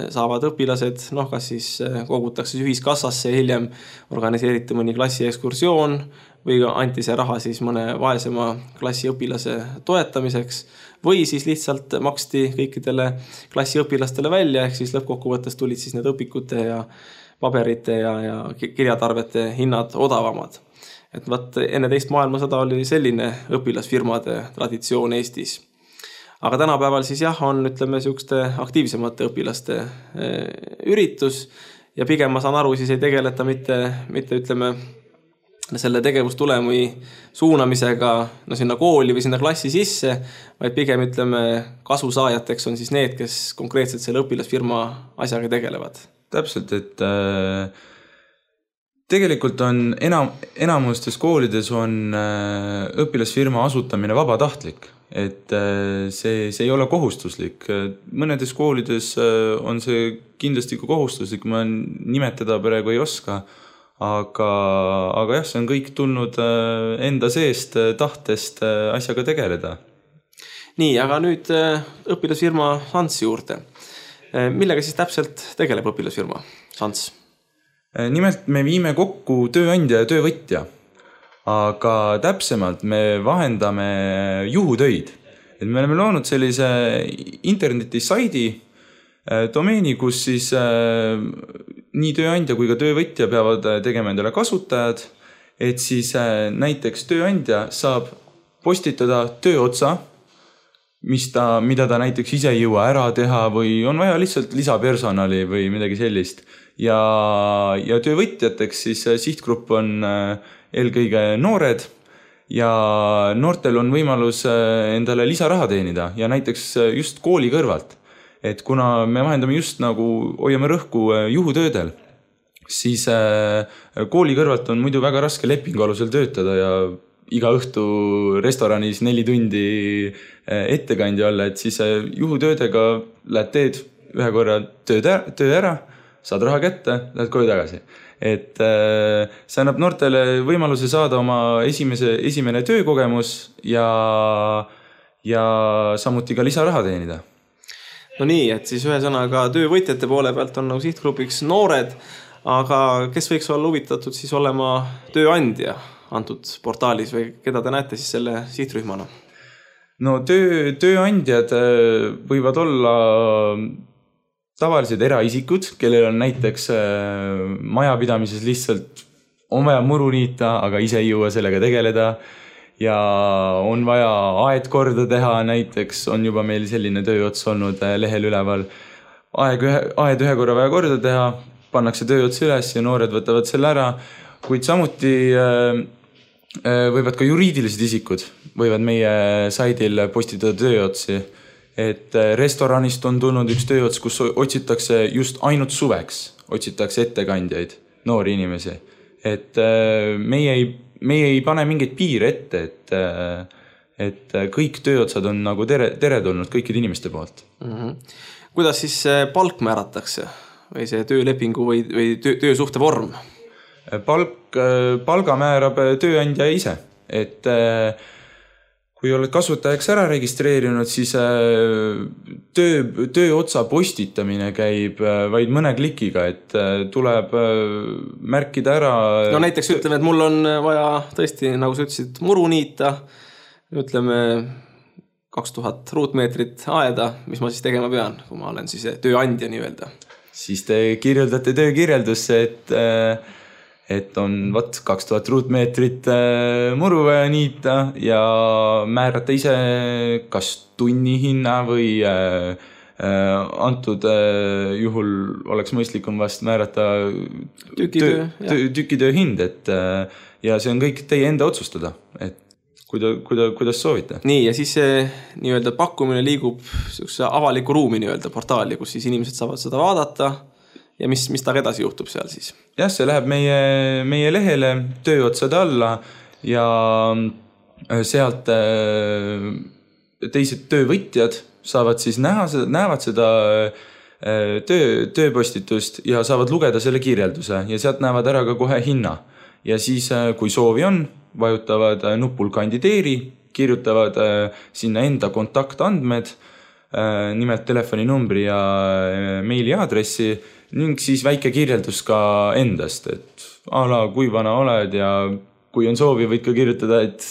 saavad õpilased, kas siis kogutakse ühiskassasse ja hiljem organiseeriti mõni klassi ekskursioon või anti see raha siis mõne vaesema klassiõpilase toetamiseks või siis lihtsalt maksti kõikidele klassiõpilastele välja, ehk siis lõppkokkuvõttes tulid siis need õpikute ja paberite ja kirjatarvete hinnad odavamad. Et enne teist maailmasõda oli selline õpilasfirmade traditsioon Eestis. Aga tänapäeval siis on, sellised aktiivsemate õpilaste üritus ja pigem ma saan aru, siis ei tegeleta mitte selle tegevustulemi suunamisega sinna kooli või sinna klassi sisse, vaid pigem kasusaajateks on siis need, kes konkreetselt selle õpilasfirma asjaga tegelevad. Täpselt, et tegelikult on enamustes koolides on õpilasfirma asutamine vabatahtlik, et see ei ole kohustuslik. Mõnedes koolides on see kindlasti ka kohustuslik, ma nimetada praegu ei oska, aga jah, see on kõik tulnud enda seest tahtest asjaga tegeleda. Nii, aga nüüd õpilasfirma Sans juurde. Millega siis täpselt tegeleb õpilasfirma Sans? Nimelt me viime kokku tööandja ja töövõtja, aga täpsemalt me vahendame juhutöid. Et me oleme loonud sellise internetisaidi domeeni, kus siis nii tööandja kui ka töövõtja peavad tegema endale kasutajad, et siis näiteks tööandja saab postitada tööotsa, mida ta näiteks ise ei jõua ära teha või on vaja lihtsalt lisapersonali või midagi sellist. Ja töövõtjateks siis sihtgrupp on eelkõige noored ja noortel on võimalus endale lisaraha teenida ja näiteks just kooli kõrvalt. Et kuna me vahendame just nagu hoiame rõhku juhutöödel, siis kooli kõrvalt on muidu väga raske lepingu alusel töötada ja iga õhtu restoranis 4 tundi ettekandja olla, et siis juhutöödega lähed teed ühe korra töö ära, saad raha kätte, lähed koju tagasi. Et see annab noortele võimaluse saada oma esimene töökogemus ja samuti ka lisaraha teenida. No nii, et siis ühesõnaga töövõtjate poole pealt on nagu sihtgrupiks noored, aga kes võiks olla huvitatud siis olema tööandja antud portaalis või keda te näete siis selle sihtrühmana? No tööandjad võivad olla tavalised eraisikud, kellel on näiteks majapidamises lihtsalt on vaja muru niita, aga ise ei jõua sellega tegeleda ja on vaja aed korda teha, näiteks on juba meil selline tööots olnud lehel üleval. Aed ühe korra vaja korda teha, pannakse tööots üles ja noored võtavad selle ära, kuid samuti võivad ka juriidilised isikud võivad meie saidil postitada tööotsi. Et restoranist on tulnud üks tööots, kus otsitakse just ainult suveks, otsitakse ettekandjaid, noori inimesi. Et meie ei pane mingeid piire ette, et kõik tööotsad on nagu teretulnud kõikide inimeste poolt. Kuidas siis palk määratakse või see töölepingu või töösuhte vorm? Palga määrab tööandja ise, et kui oled kasutajaks ära registreerinud, siis tööotsa postitamine käib vaid mõne klikiga, et tuleb märkida ära. No näiteks ütleme, et mul on vaja tõesti, nagu sa ütlesid, muru niita, ütleme 2000 ruutmeetrit aeda, mis ma siis tegema pean, kui ma olen siis tööandja nii-öelda. Siis te kirjeldate töökirjeldusse, et on 2000 ruutmeetrit muru vaja niita ja määrata ise kas tunnihinna või antud juhul oleks mõistlikum vast määrata tükitöö hind, ja see on kõik teie enda otsustada, et kuidas soovite. Nii, ja siis see nii-öelda pakkumine liigub avaliku ruumi nii-öelda portaali, kus siis inimesed saavad seda vaadata. Ja mis taga edasi juhtub seal siis? Jah, see läheb meie lehele tööotsade alla ja sealt teised töövõtjad saavad siis näevad seda tööpostitust ja saavad lugeda selle kirjelduse ja sealt näevad ära ka kohe hinna. Ja siis, kui soovi on, vajutavad nupul kandideeri, kirjutavad sinna enda kontaktandmed, nimelt telefoninumbri ja meiliaadressi, ning siis väike kirjeldus ka endast, et kui vana oled ja kui on soovi, võid ka kirjutada, et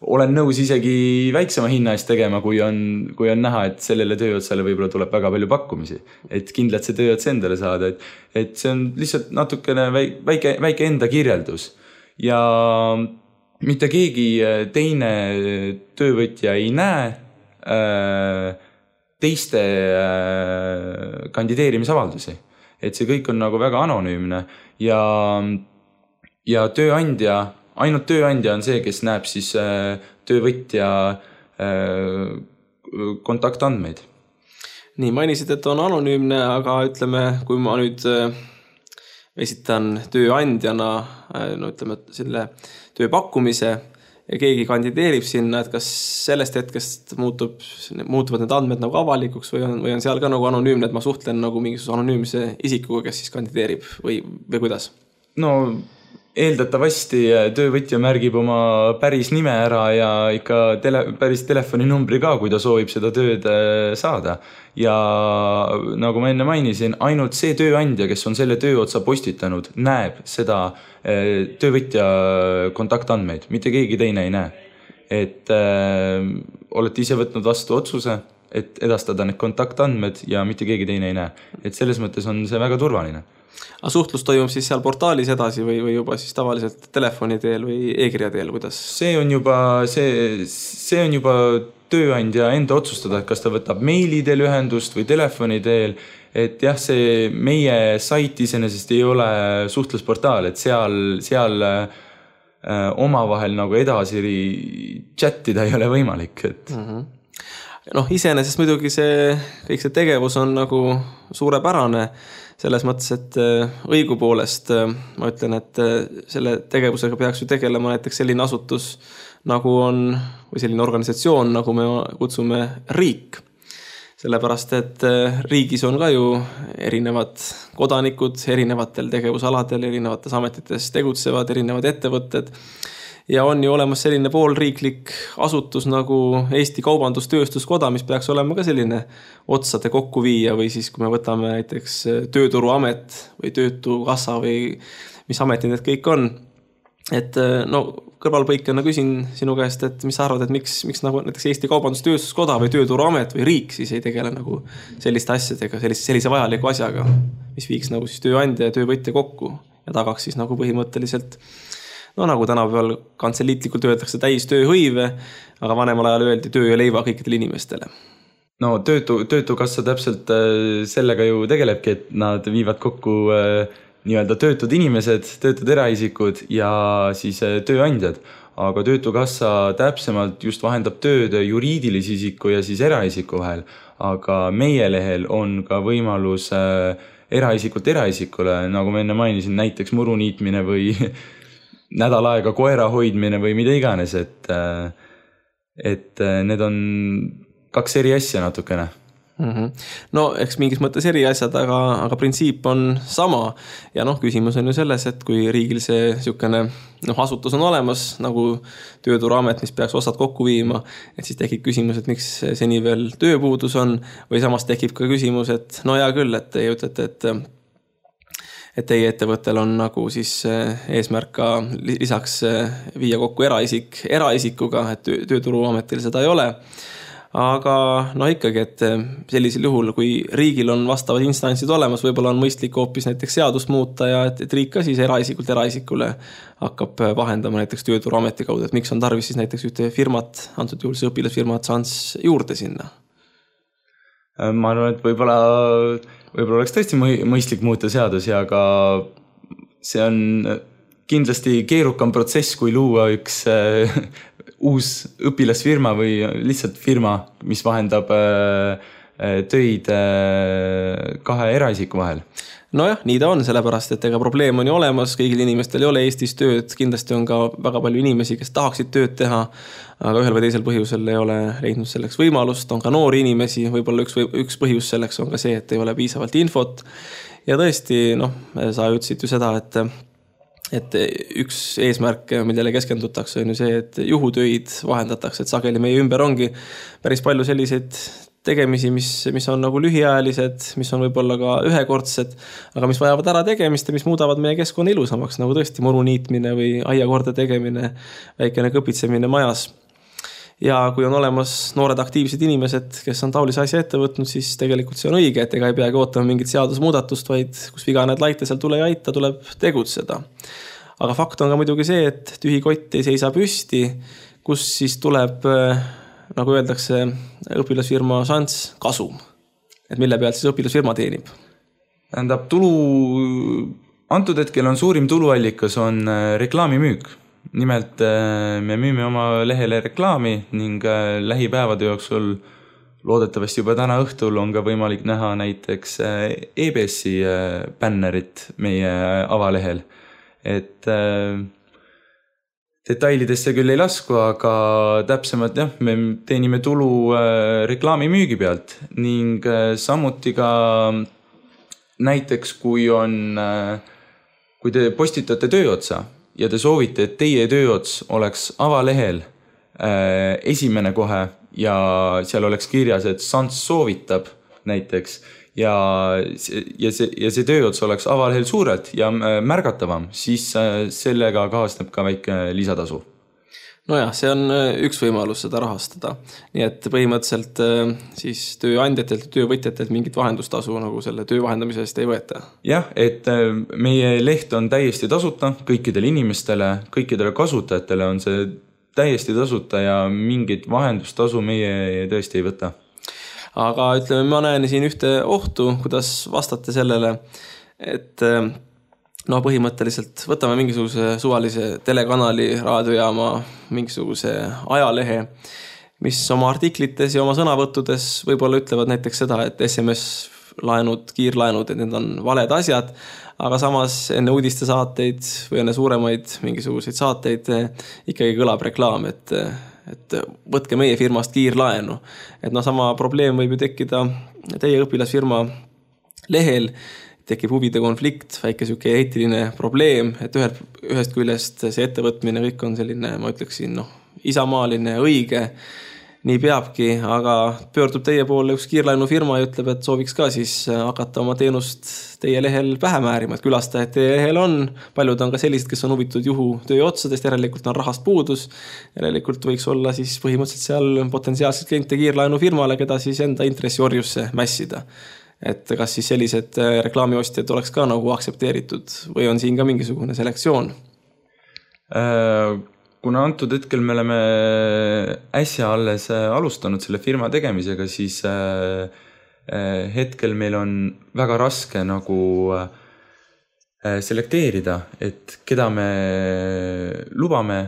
olen nõus isegi väiksema hinna eest tegema, kui on näha, et sellele tööotsale võib-olla tuleb väga palju pakkumisi, et kindlalt see tööots endale saada, et see on lihtsalt natukene väike enda kirjeldus ja mitte keegi teine töövõtja ei näe teiste kandideerimisavaldusi. Et see kõik on nagu väga anonüümne ja tööandja, ainult tööandja on see, kes näeb siis töövõtja kontaktandmeid. Nii, mainisid, et on anonüümne, aga ütleme, kui ma nüüd esitan tööandjana, ütleme, selle tööpakkumise ja keegi kandideerib sinna, et kas sellest hetkest muutuvad need andmed nagu avalikuks või on seal ka nagu anonüümne, et ma suhtlen nagu mingisuguse anonüümse isikuga, kes siis kandideerib või kuidas? No eeldatavasti töövõtja märgib oma päris nime ära ja ikka päris telefoninumbri ka, kui ta soovib seda tööd saada. Ja nagu ma enne mainisin, ainult see tööandja, kes on selle tööotsa postitanud, näeb seda töövõtja kontaktandmeid, mitte keegi teine ei näe. Et olete ise võtnud vastu otsuse, et edastada need kontaktandmed ja mitte keegi teine ei näe. Et selles mõttes on see väga turvaline. Aga suhtlus toimub siis seal portaalis edasi või juba siis tavaliselt telefoni teel või e-kirja teel, kuidas? See on juba tööandja enda otsustada, et kas ta võtab meili teel ühendust või telefoni teel, et jah, see meie sait iseenesest ei ole suhtlusportaal, et seal omavahel nagu edasi chattida ei ole võimalik, et iseenesest muidugi kõik see tegevus on nagu suurepärane selles mõttes, et õigupoolest ma ütlen, et selle tegevusega peaks ju tegelema näiteks selline asutus nagu on, või selline organisatsioon, nagu me kutsume riik. Sellepärast, et riigis on ka ju erinevad kodanikud, erinevatel tegevusaladel, erinevates ametites tegutsevad, erinevad ettevõtted. ja on ju olemas selline poolriiklik asutus nagu Eesti Kaubandus-Tööstuskoda, mis peaks olema ka selline otsade kokkuviija või siis kui me võtame näiteks Tööturuamet või Töötukassa või mis ametid need kõik on. Et no kõrvalpõikena küsin sinu käest, et mis sa arvad, et miks nagu näiteks Eesti Kaubandus-Tööstuskoda või Tööturuamet või riik siis ei tegele nagu selliste asjadega, sellise vajaliku asjaga, mis viiks nagu siis tööandja ja töövõtja kokku ja tagaks siis nagu põhimõtteliselt, no nagu tänapäeval kantseliitlikult öeldakse täis tööhõive, aga vanemal ajal öeldi töö ja leiva kõikidele inimestele. No töötukassa täpselt sellega ju tegelebki, et nad viivad kokku nii-öelda töötud inimesed, töötud eraisikud ja siis tööandjad. Aga töötukassa täpsemalt just vahendab tööd juriidilise isiku ja siis eraisiku vahel. Aga meie lehel on ka võimalus eraisikult eraisikule, nagu ma enne mainisin, näiteks muruniitmine või nädal aega koera hoidmine või mida iganes. Et need on 2 eri asja natukene. No eks mingis mõttes eri asjad, aga printsiip on sama ja küsimus on ju selles, et kui riigil see niisugune asutus on olemas nagu Tööturuamet, mis peaks osad kokku viima, et siis tekib küsimus, et miks seni veel tööpuudus on või samas tekib ka küsimus, et no hea küll, et teie ütlete, et teie ettevõttel on nagu siis eesmärk ka lisaks viia kokku eraisikuga, et Tööturuametil seda ei ole. Aga ikkagi, et sellisel juhul, kui riigil on vastavad instantsid olemas, võib-olla on mõistlik hoopis näiteks seadust muuta ja et riik ka siis eraisikult eraisikule hakkab vahendama näiteks Tööturuameti kaudu, et miks on tarvis siis näiteks ühte firmat, antud juhul see õpilasfirmat Sans juurde sinna? Ma arvan, et võib-olla oleks tõesti mõistlik muuta seadusi, aga see on kindlasti keerukam protsess, kui luua üks uus õpilasfirma või lihtsalt firma, mis vahendab töid 2 eraisiku vahel. Nojah, nii ta on, sellepärast, et ega probleem on ju olemas, kõigil inimestel ei ole Eestis tööd, kindlasti on ka väga palju inimesi, kes tahaksid tööd teha, aga ühel või teisel põhjusel ei ole leidnud selleks võimalust, on ka noori inimesi, võib-olla üks põhjus selleks on ka see, et ei ole piisavalt infot ja tõesti, sa ütlesid ju seda, et üks eesmärk, millele keskendutakse, on ju see, et juhutöid vahendatakse, et sageli meie ümber ongi päris palju selliseid tegemisi, mis on nagu lühiajalised, mis on võib-olla ka ühekordsed, aga mis vajavad ära tegemist ja mis muudavad meie keskkonna ilusamaks, nagu tõesti muruniitmine või aiakorda tegemine, väikene kõpitsemine majas. Ja kui on olemas noored aktiivsed inimesed, kes on taolise asja ette võtnud, siis tegelikult see on õige, et ega ei peagi ootama mingit seadusmuudatust, vaid kus viga need laite seal tule ja aita, tuleb tegutseda. Aga fakt on ka muidugi see, et tühi kott ei seisa püsti, kus siis tuleb, nagu öeldakse, õpilasfirma Sans kasum. Et mille pealt siis õpilasfirma teenib? Tähendab, antud hetkel on suurim tuluallikas on reklaamimüük. Nimelt me müüme oma lehele reklaami ning lähipäevade jooksul loodetavasti juba täna õhtul on ka võimalik näha näiteks EBS-i bännerit meie avalehel. Et detailidesse küll ei lasku, aga täpsemalt me teenime tulu reklaamimüügi pealt ning samuti ka näiteks kui te postitate tööotsa ja te soovite, et teie tööots oleks avalehel esimene kohe ja seal oleks kirjas, et Sans soovitab näiteks ja see tööots oleks avalehel suurelt ja märgatavam, siis sellega kaasneb ka väike lisatasu. Nojah, see on üks võimalus seda rahastada. Nii et põhimõtteliselt siis tööandjatelt ja töövõtjatelt mingit vahendustasu nagu selle töö vahendamise eest ei võeta. Jah, et meie leht on täiesti tasuta kõikidele inimestele, kõikidele kasutajatele on see täiesti tasuta ja mingit vahendustasu meie tõesti ei võta. Aga ütleme, ma näen siin ühte ohtu, kuidas vastate sellele, et põhimõtteliselt võtame mingisuguse suvalise telekanali, raadiojaama, mingisuguse ajalehe, mis oma artiklites ja oma sõnavõttudes võib-olla ütlevad näiteks seda, et SMS-laenud, kiirlaenud, et need on valed asjad, aga samas enne uudistesaateid või enne suuremaid mingisuguseid saateid ikkagi kõlab reklaam, et võtke meie firmast kiirlaenu. Et sama probleem võib ju tekkida teie õpilasfirma lehel. tekib huvide konflikt, väike siuke eetiline probleem, et ühest küljest see ettevõtmine kõik on selline, ma ütleksin, isamaaline, õige, nii peabki, aga pöördub teie poole üks kiirlaenufirma ja ütleb, et sooviks ka siis hakata oma teenust teie lehel pähe määrima, et külastajad teie lehel on, paljud on ka sellised, kes on huvitud juhutöö otsadest, järelikult on rahast puudus, järelikult võiks olla siis põhimõtteliselt seal potentsiaalselt kliente kiirlaenufirmale, keda siis enda intressiorjusse mässida. Et kas siis sellised reklaamiostjad oleks ka nagu aktsepteeritud või on siin ka mingisugune selektsioon? Kuna antud hetkel me oleme äsja alles alustanud selle firma tegemisega, siis hetkel meil on väga raske nagu selekteerida, et keda me lubame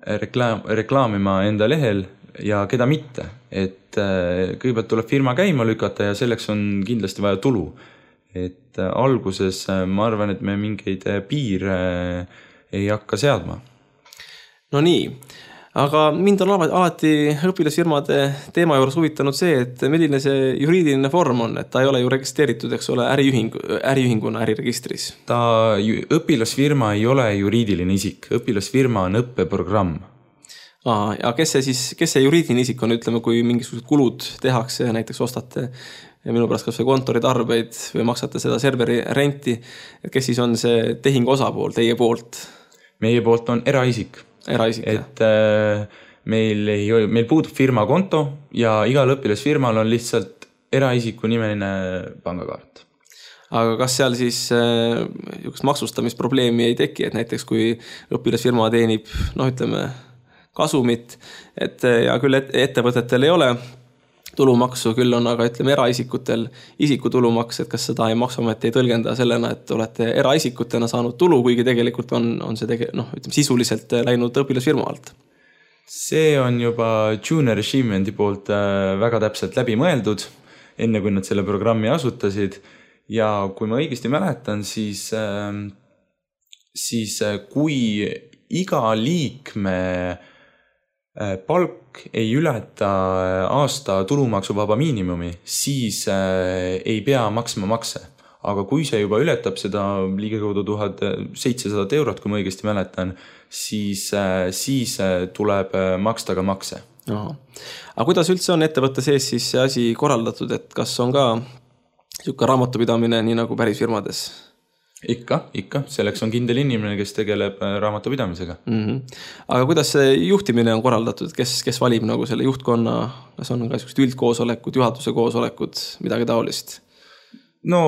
reklaamima enda lehel ja keda mitte. Et kõigepealt tuleb firma käima lükata ja selleks on kindlasti vaja tulu. Et alguses ma arvan, et me mingeid piire ei hakka seadma. No nii, aga mind on alati õpilasfirmade teema juures huvitanud see, et milline see juriidiline vorm on, et ta ei ole ju registreeritud, eks ole, äriühinguna äriregistris. Õpilasfirma ei ole juriidiline isik, õpilasfirma on õppeprogramm. Ja kes see juriidiline isik on, ütleme, kui mingisugused kulud tehakse ja näiteks ostate minu pärast kas või kontoritarbeid või maksate seda serveri renti, et kes siis on see tehingu osapool teie poolt? Meie poolt on eraisik. Et meil puudub firma konto ja igal õpilasfirmal on lihtsalt eraisiku nimeline pangakaart. Aga kas seal siis maksustamisprobleemi ei teki, et näiteks kui õpilasfirma teenib, ütleme, kasumit, et ja küll ettevõtetel ei ole tulumaksu, küll on aga ütleme eraisikutel isikutulumaks, et kas seda ei maksuamet ei tõlgenda sellena, et olete eraisikutena saanud tulu, kuigi tegelikult on see sisuliselt läinud õpilasfirma alt? See on juba Junior Achievement'i poolt väga täpselt läbi mõeldud, enne kui nad selle programmi asutasid. Ja kui ma õigesti mäletan, siis kui iga liikme palk ei ületa aasta tulumaksuvaba miinimumi, siis ei pea maksma makse. Aga kui see juba ületab seda ligikaudu 1700 €, kui ma õigesti mäletan, siis tuleb maksta ka makse. Aga kuidas üldse on ettevõtte sees siis see asi korraldatud, et kas on ka siuke raamatupidamine nii nagu päris firmades? Ikka. Selleks on kindel inimene, kes tegeleb raamatupidamisega. Aga kuidas see juhtimine on korraldatud? Kes valib nagu selle juhtkonna? Kas on ka üldkoosolekud, juhatuse koosolekud, midagi taolist? No,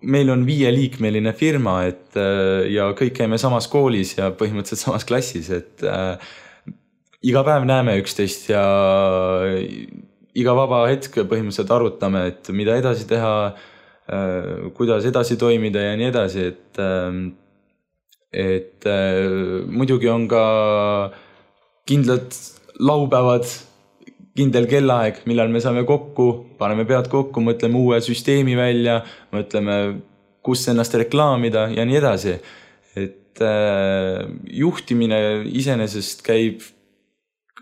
meil on 5-liikmeline firma, ja kõik käime samas koolis ja põhimõtteliselt samas klassis, et iga päev näeme üksteist ja iga vaba hetk põhimõtteliselt arutame, et mida edasi teha, kuidas edasi toimida ja nii edasi, et muidugi on ka kindlad laupäevad, kindel kellaaeg, millal me saame kokku, paneme pead kokku, mõtleme uue süsteemi välja, mõtleme, kus ennast reklaamida ja nii edasi. Et juhtimine iseenesest käib,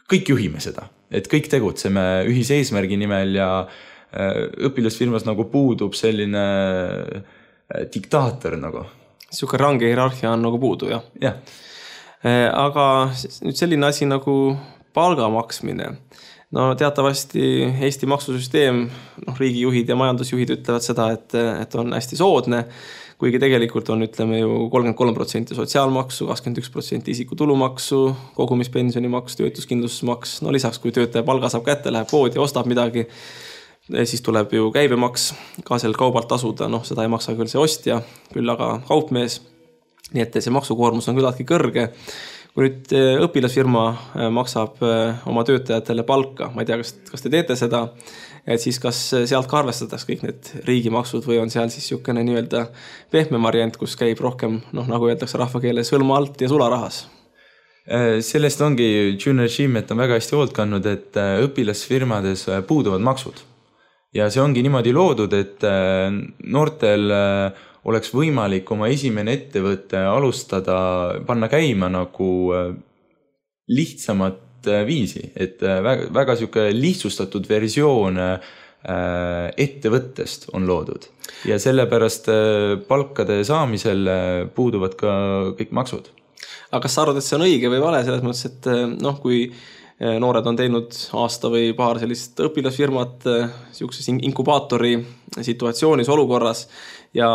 kõik juhime seda, et kõik tegutseme ühise eesmärgi nimel ja õpilasfirmas nagu puudub selline diktaator nagu. Siuke range hierarhia on nagu puudu, jah? Jah. Aga nüüd selline asi nagu palga maksmine. No teatavasti Eesti maksusüsteem, riigijuhid ja majandusjuhid ütlevad seda, et on hästi soodne, kuigi tegelikult on, ütleme ju 33% sotsiaalmaksu, 21% isikutulumaksu, kogumispensionimaksu, töötuskindlustusmaks. No lisaks, kui töötaja palga saab kätte, läheb poodi ja ostab midagi, siis tuleb ju käibemaks ka sel kaubalt tasuda, seda ei maksa küll see ostja, küll aga kaupmees. Nii et see maksukoormus on küllaltki kõrge. Kui nüüd õpilasfirma maksab oma töötajatele palka, ma ei tea, kas te teete seda, et siis kas sealt ka arvestatakse kõik need riigimaksud või on seal siis niisugune nii-öelda pehme variant, kus käib rohkem, nagu öeldakse rahvakeeles, hõlma alt ja sularahas? Sellest ongi Junior Achievement on väga hästi hoolt kandnud, et õpilasfirmades puuduvad maksud. Ja see ongi niimoodi loodud, et noortel oleks võimalik oma esimene ettevõtte alustada, panna käima nagu lihtsamat viisi, et väga siuke lihtsustatud versioon ettevõttest on loodud ja sellepärast palkade saamisel puuduvad ka kõik maksud. Aga kas sa arvad, et see on õige või vale selles mõttes, et kui noored on teinud aasta või paar sellist õpilasfirmat siukses inkubaatori situatsioonis olukorras ja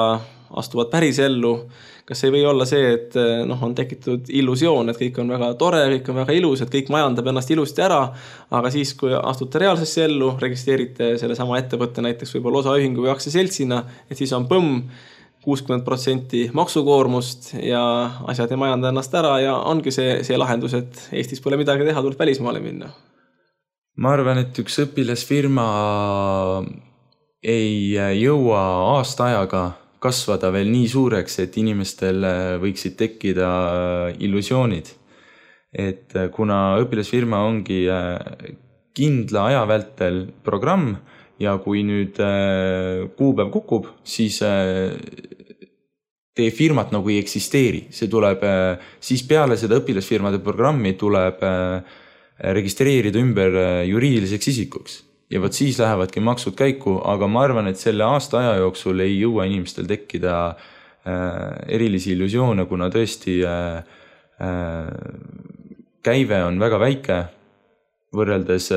astuvad päris ellu, kas ei või olla see, et on tekitud illusioon, et kõik on väga tore, kõik on väga ilus, et kõik majandab ennast ilusti ära, aga siis, kui astute reaalsesse ellu, registreerite selle sama ettevõtte näiteks võib-olla osaühingu või aktsiaseltsina, et siis on 60% maksukoormust ja asjad ei majanda ennast ära ja ongi see lahendus, et Eestis pole midagi teha, tuleb välismaale minna. Ma arvan, et üks õpilasfirma ei jõua aasta ajaga kasvada veel nii suureks, et inimestel võiksid tekkida illusioonid. Et kuna õpilasfirma ongi kindla aja vältel programm, ja kui nüüd kuupäev kukub, siis teie firmat nagu ei eksisteeri. See tuleb, siis peale seda õpilasfirmade programmi tuleb registreerida ümber juriidiliseks isikuks. Ja võt siis lähevadki maksud käiku, aga ma arvan, et selle aasta aja jooksul ei jõua inimestel tekkida erilisi illusioone, kuna tõesti käive on väga väike võrreldes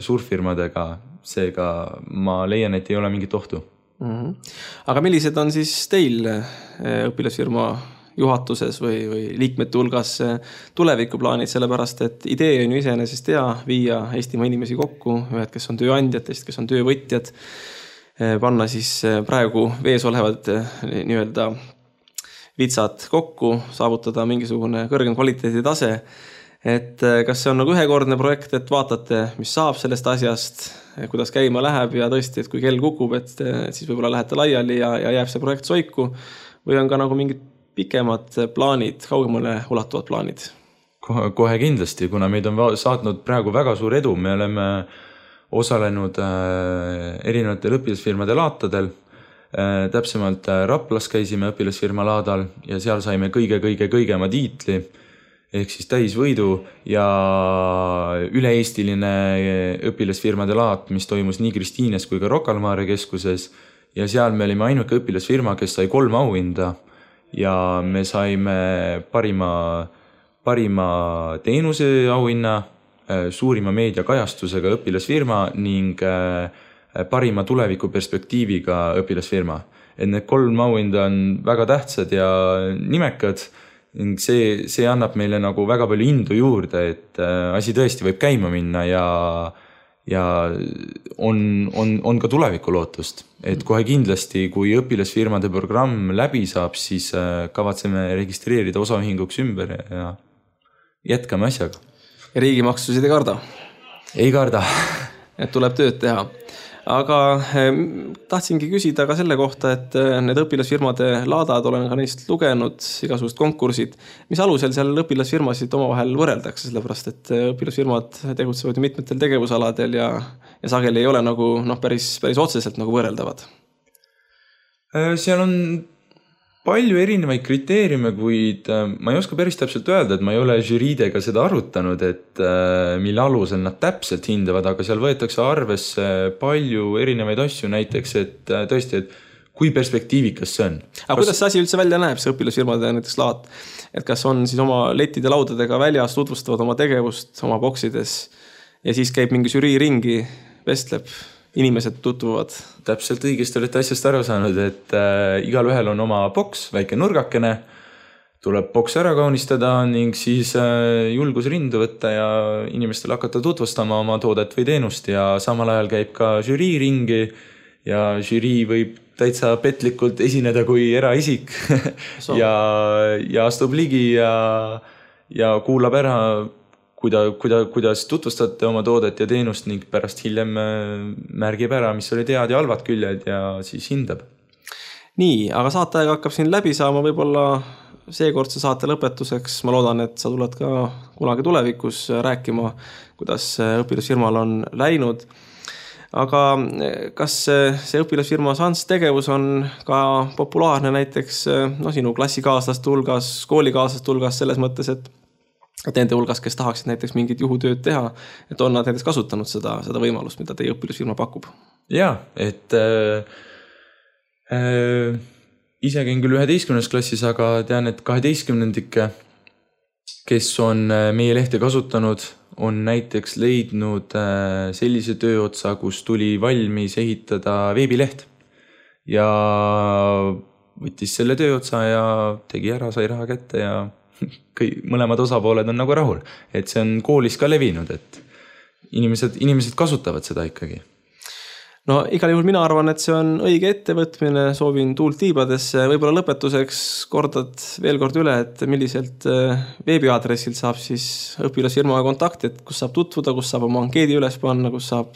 suurfirmadega. Seega ma leian, et ei ole mingit ohtu. Aga millised on siis teil õpilasfirma juhatuses või liikmete hulgas tulevikuplaanid, sellepärast et idee on ju iseenesest hea viia Eestimaa inimesi kokku, ühed, kes on tööandjad, teised, kes on töövõtjad, panna siis praegu vees olevad nii-öelda vitsad kokku, saavutada mingisugune kõrgem kvaliteedi tase. Et kas see on nagu ühekordne projekt, et vaatate, mis saab sellest asjast, kuidas käima läheb ja tõesti, et kui kell kukub, et siis võib-olla lähete laiali ja jääb see projekt soiku või on ka nagu mingid pikemad plaanid, kaugemale ulatuvad plaanid? Kohe kindlasti, kuna meid on saatnud praegu väga suur edu, me oleme osalenud erinevatel õpilasfirmade laatadel, täpsemalt Raplas käisime õpilasfirma laadal ja seal saime kõige-kõige-kõigema tiitli, ehk siis täisvõidu ja üle-eestiline õpilasfirmade laat, mis toimus nii Kristiines kui ka Rocca al Mare keskuses ja seal me olime ainuke õpilasfirma, kes sai 3 auhinda ja me saime parima teenuse auhinna, suurima meediakajastusega õpilasfirma ning parima tulevikuperspektiiviga õpilasfirma. Et need 3 auhinda on väga tähtsad ja nimekad. See annab meile nagu väga palju indu juurde, et asi tõesti võib käima minna ja on ka tuleviku lootust. Et kohe kindlasti, kui õpilasfirmade programm läbi saab, siis kavatseme registreerida osaühinguks ümber ja jätkame asjaga. Ja riigimaksusid ei karda? Ei karda. Et tuleb tööd teha. Aga tahtsingi küsida ka selle kohta, et need õpilasfirmade laadad, olen ka neist lugenud, igasugust konkursid. Mis alusel seal õpilasfirmasid omavahel võrreldakse, sellepärast et õpilasfirmad tegutsevad mitmetel tegevusaladel ja sageli ei ole nagu päris otseselt nagu võrreldavad? Seal on palju erinevaid kriteeriume, kuid ma ei oska päris täpselt öelda, et ma ei ole žüriidega seda arutanud, et mille alusel nad täpselt hindavad, aga seal võetakse arvesse palju erinevaid asju, näiteks, et tõesti, et kui perspektiivikas see on. Aga kuidas see asi üldse välja näeb, see õpilasfirmade näiteks laat? Et kas on siis oma letide laudadega väljas, tutvustavad oma tegevust oma boksides ja siis käib mingi žürii ringi, vestleb, inimesed tutvuvad? Täpselt õigesti olete asjast aru saanud, et igal ühel on oma boks, väike nurgakene, tuleb boks ära kaunistada ning siis julgus rindu võtta ja inimestel hakata tutvustama oma toodet või teenust ja samal ajal käib ka žürii ringi ja žürii võib täitsa petlikult esineda kui eraisik ja astub ligi ja kuulab ära, kuidas tutvustate oma toodet ja teenust ning pärast hiljem märgib ära, mis olid head ja halvad küljed ja siis hindab. Nii, aga saateaeg hakkab siin läbi saama, võib-olla seekordse saate lõpetuseks. Ma loodan, et sa tuled ka kunagi tulevikus rääkima, kuidas õpilasfirmal on läinud. Aga kas see õpilasfirma Sans tegevus on ka populaarne näiteks sinu klassikaaslaste hulgas, koolikaaslaste hulgas selles mõttes, et nende hulgas, kes tahaksid näiteks mingit juhutööd teha, et on nad näiteks kasutanud seda võimalust, mida teie õpilasfirma pakub? Jaa, et ise käin küll 11. klassis, aga tean, et 12-ndikke, kes on meie lehte kasutanud, on näiteks leidnud sellise tööotsa, kus tuli valmis ehitada veebileht ja võttis selle tööotsa ja tegi ära, sai raha kätte ja mõlemad osapooled on nagu rahul. Et see on koolis ka levinud, et inimesed kasutavad seda ikkagi. No igal juhul mina arvan, et see on õige ettevõtmine, soovin tuult tiibadesse. Võib-olla lõpetuseks kordad veel kord üle, et milliselt veebiaadressilt saab siis õpilasfirmaga kontakti, et kus saab tutvuda, kus saab oma ankeedi üles panna, kus saab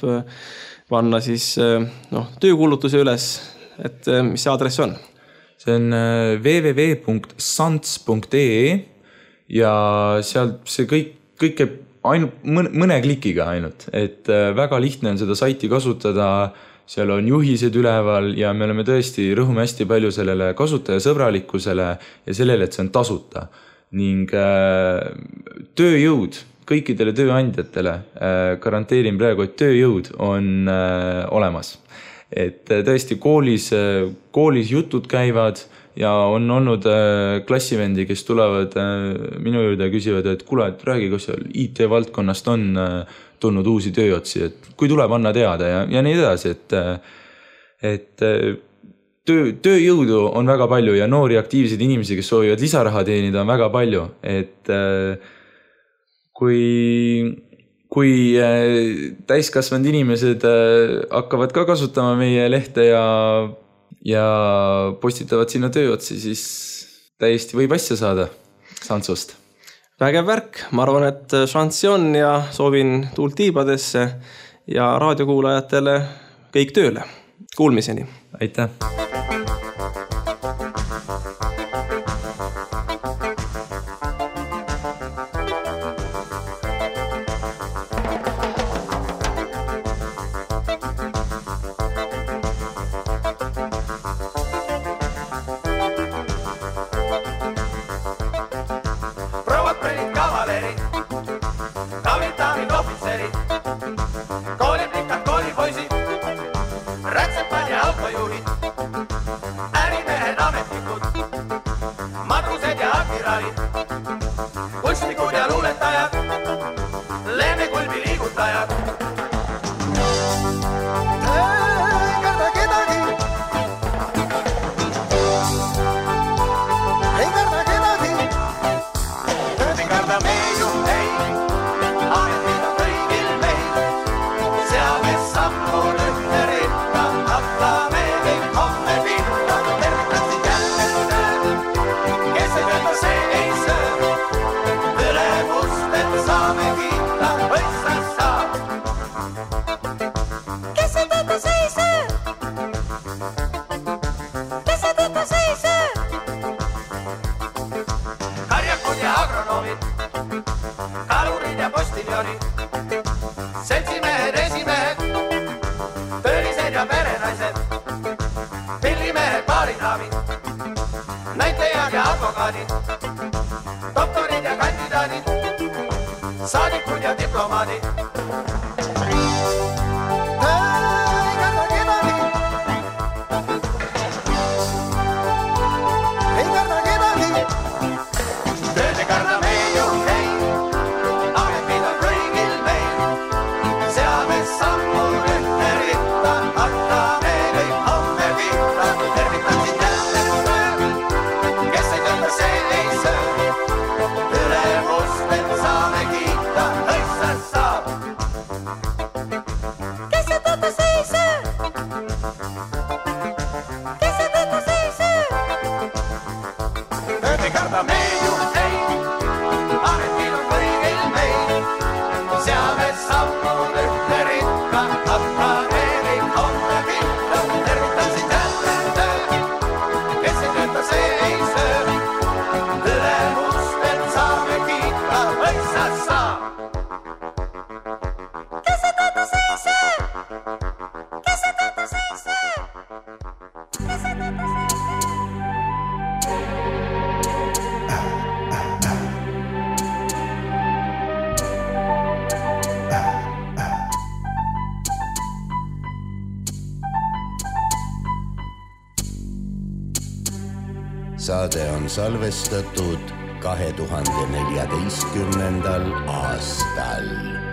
panna siis töökuulutuse üles, et mis see aadress on? See on www.sants.ee ja sealt see kõik käib mõne klikiga ainult, et väga lihtne on seda saiti kasutada, seal on juhised üleval ja me oleme tõesti rõhume hästi palju sellele kasutajasõbralikkusele ja sellele, et see on tasuta. Ning tööjõud kõikidele tööandjatele garanteerin praegu, et tööjõud on olemas. Et tõesti koolis jutud käivad ja on olnud klassivendi, kes tulevad minu juurde ja küsivad, et kuule, et räägi, kas seal IT-valdkonnast on tulnud uusi tööotsi, et kui tuleb, anna teada ja nii edasi, et tööjõudu on väga palju ja noori aktiivseid inimesi, kes soovivad lisaraha teenida, on väga palju, et kui täiskasvanud inimesed hakkavad ka kasutama meie lehte ja postitavad sinna tööotsi, siis täiesti võib asja saada Santsust. Vägev värk, ma arvan, et šanssi on ja soovin tuult tiibadesse ja raadiokuulajatele kõik tööle. Kuulmiseni. Aitäh! saade on salvestatud 2014. aastal.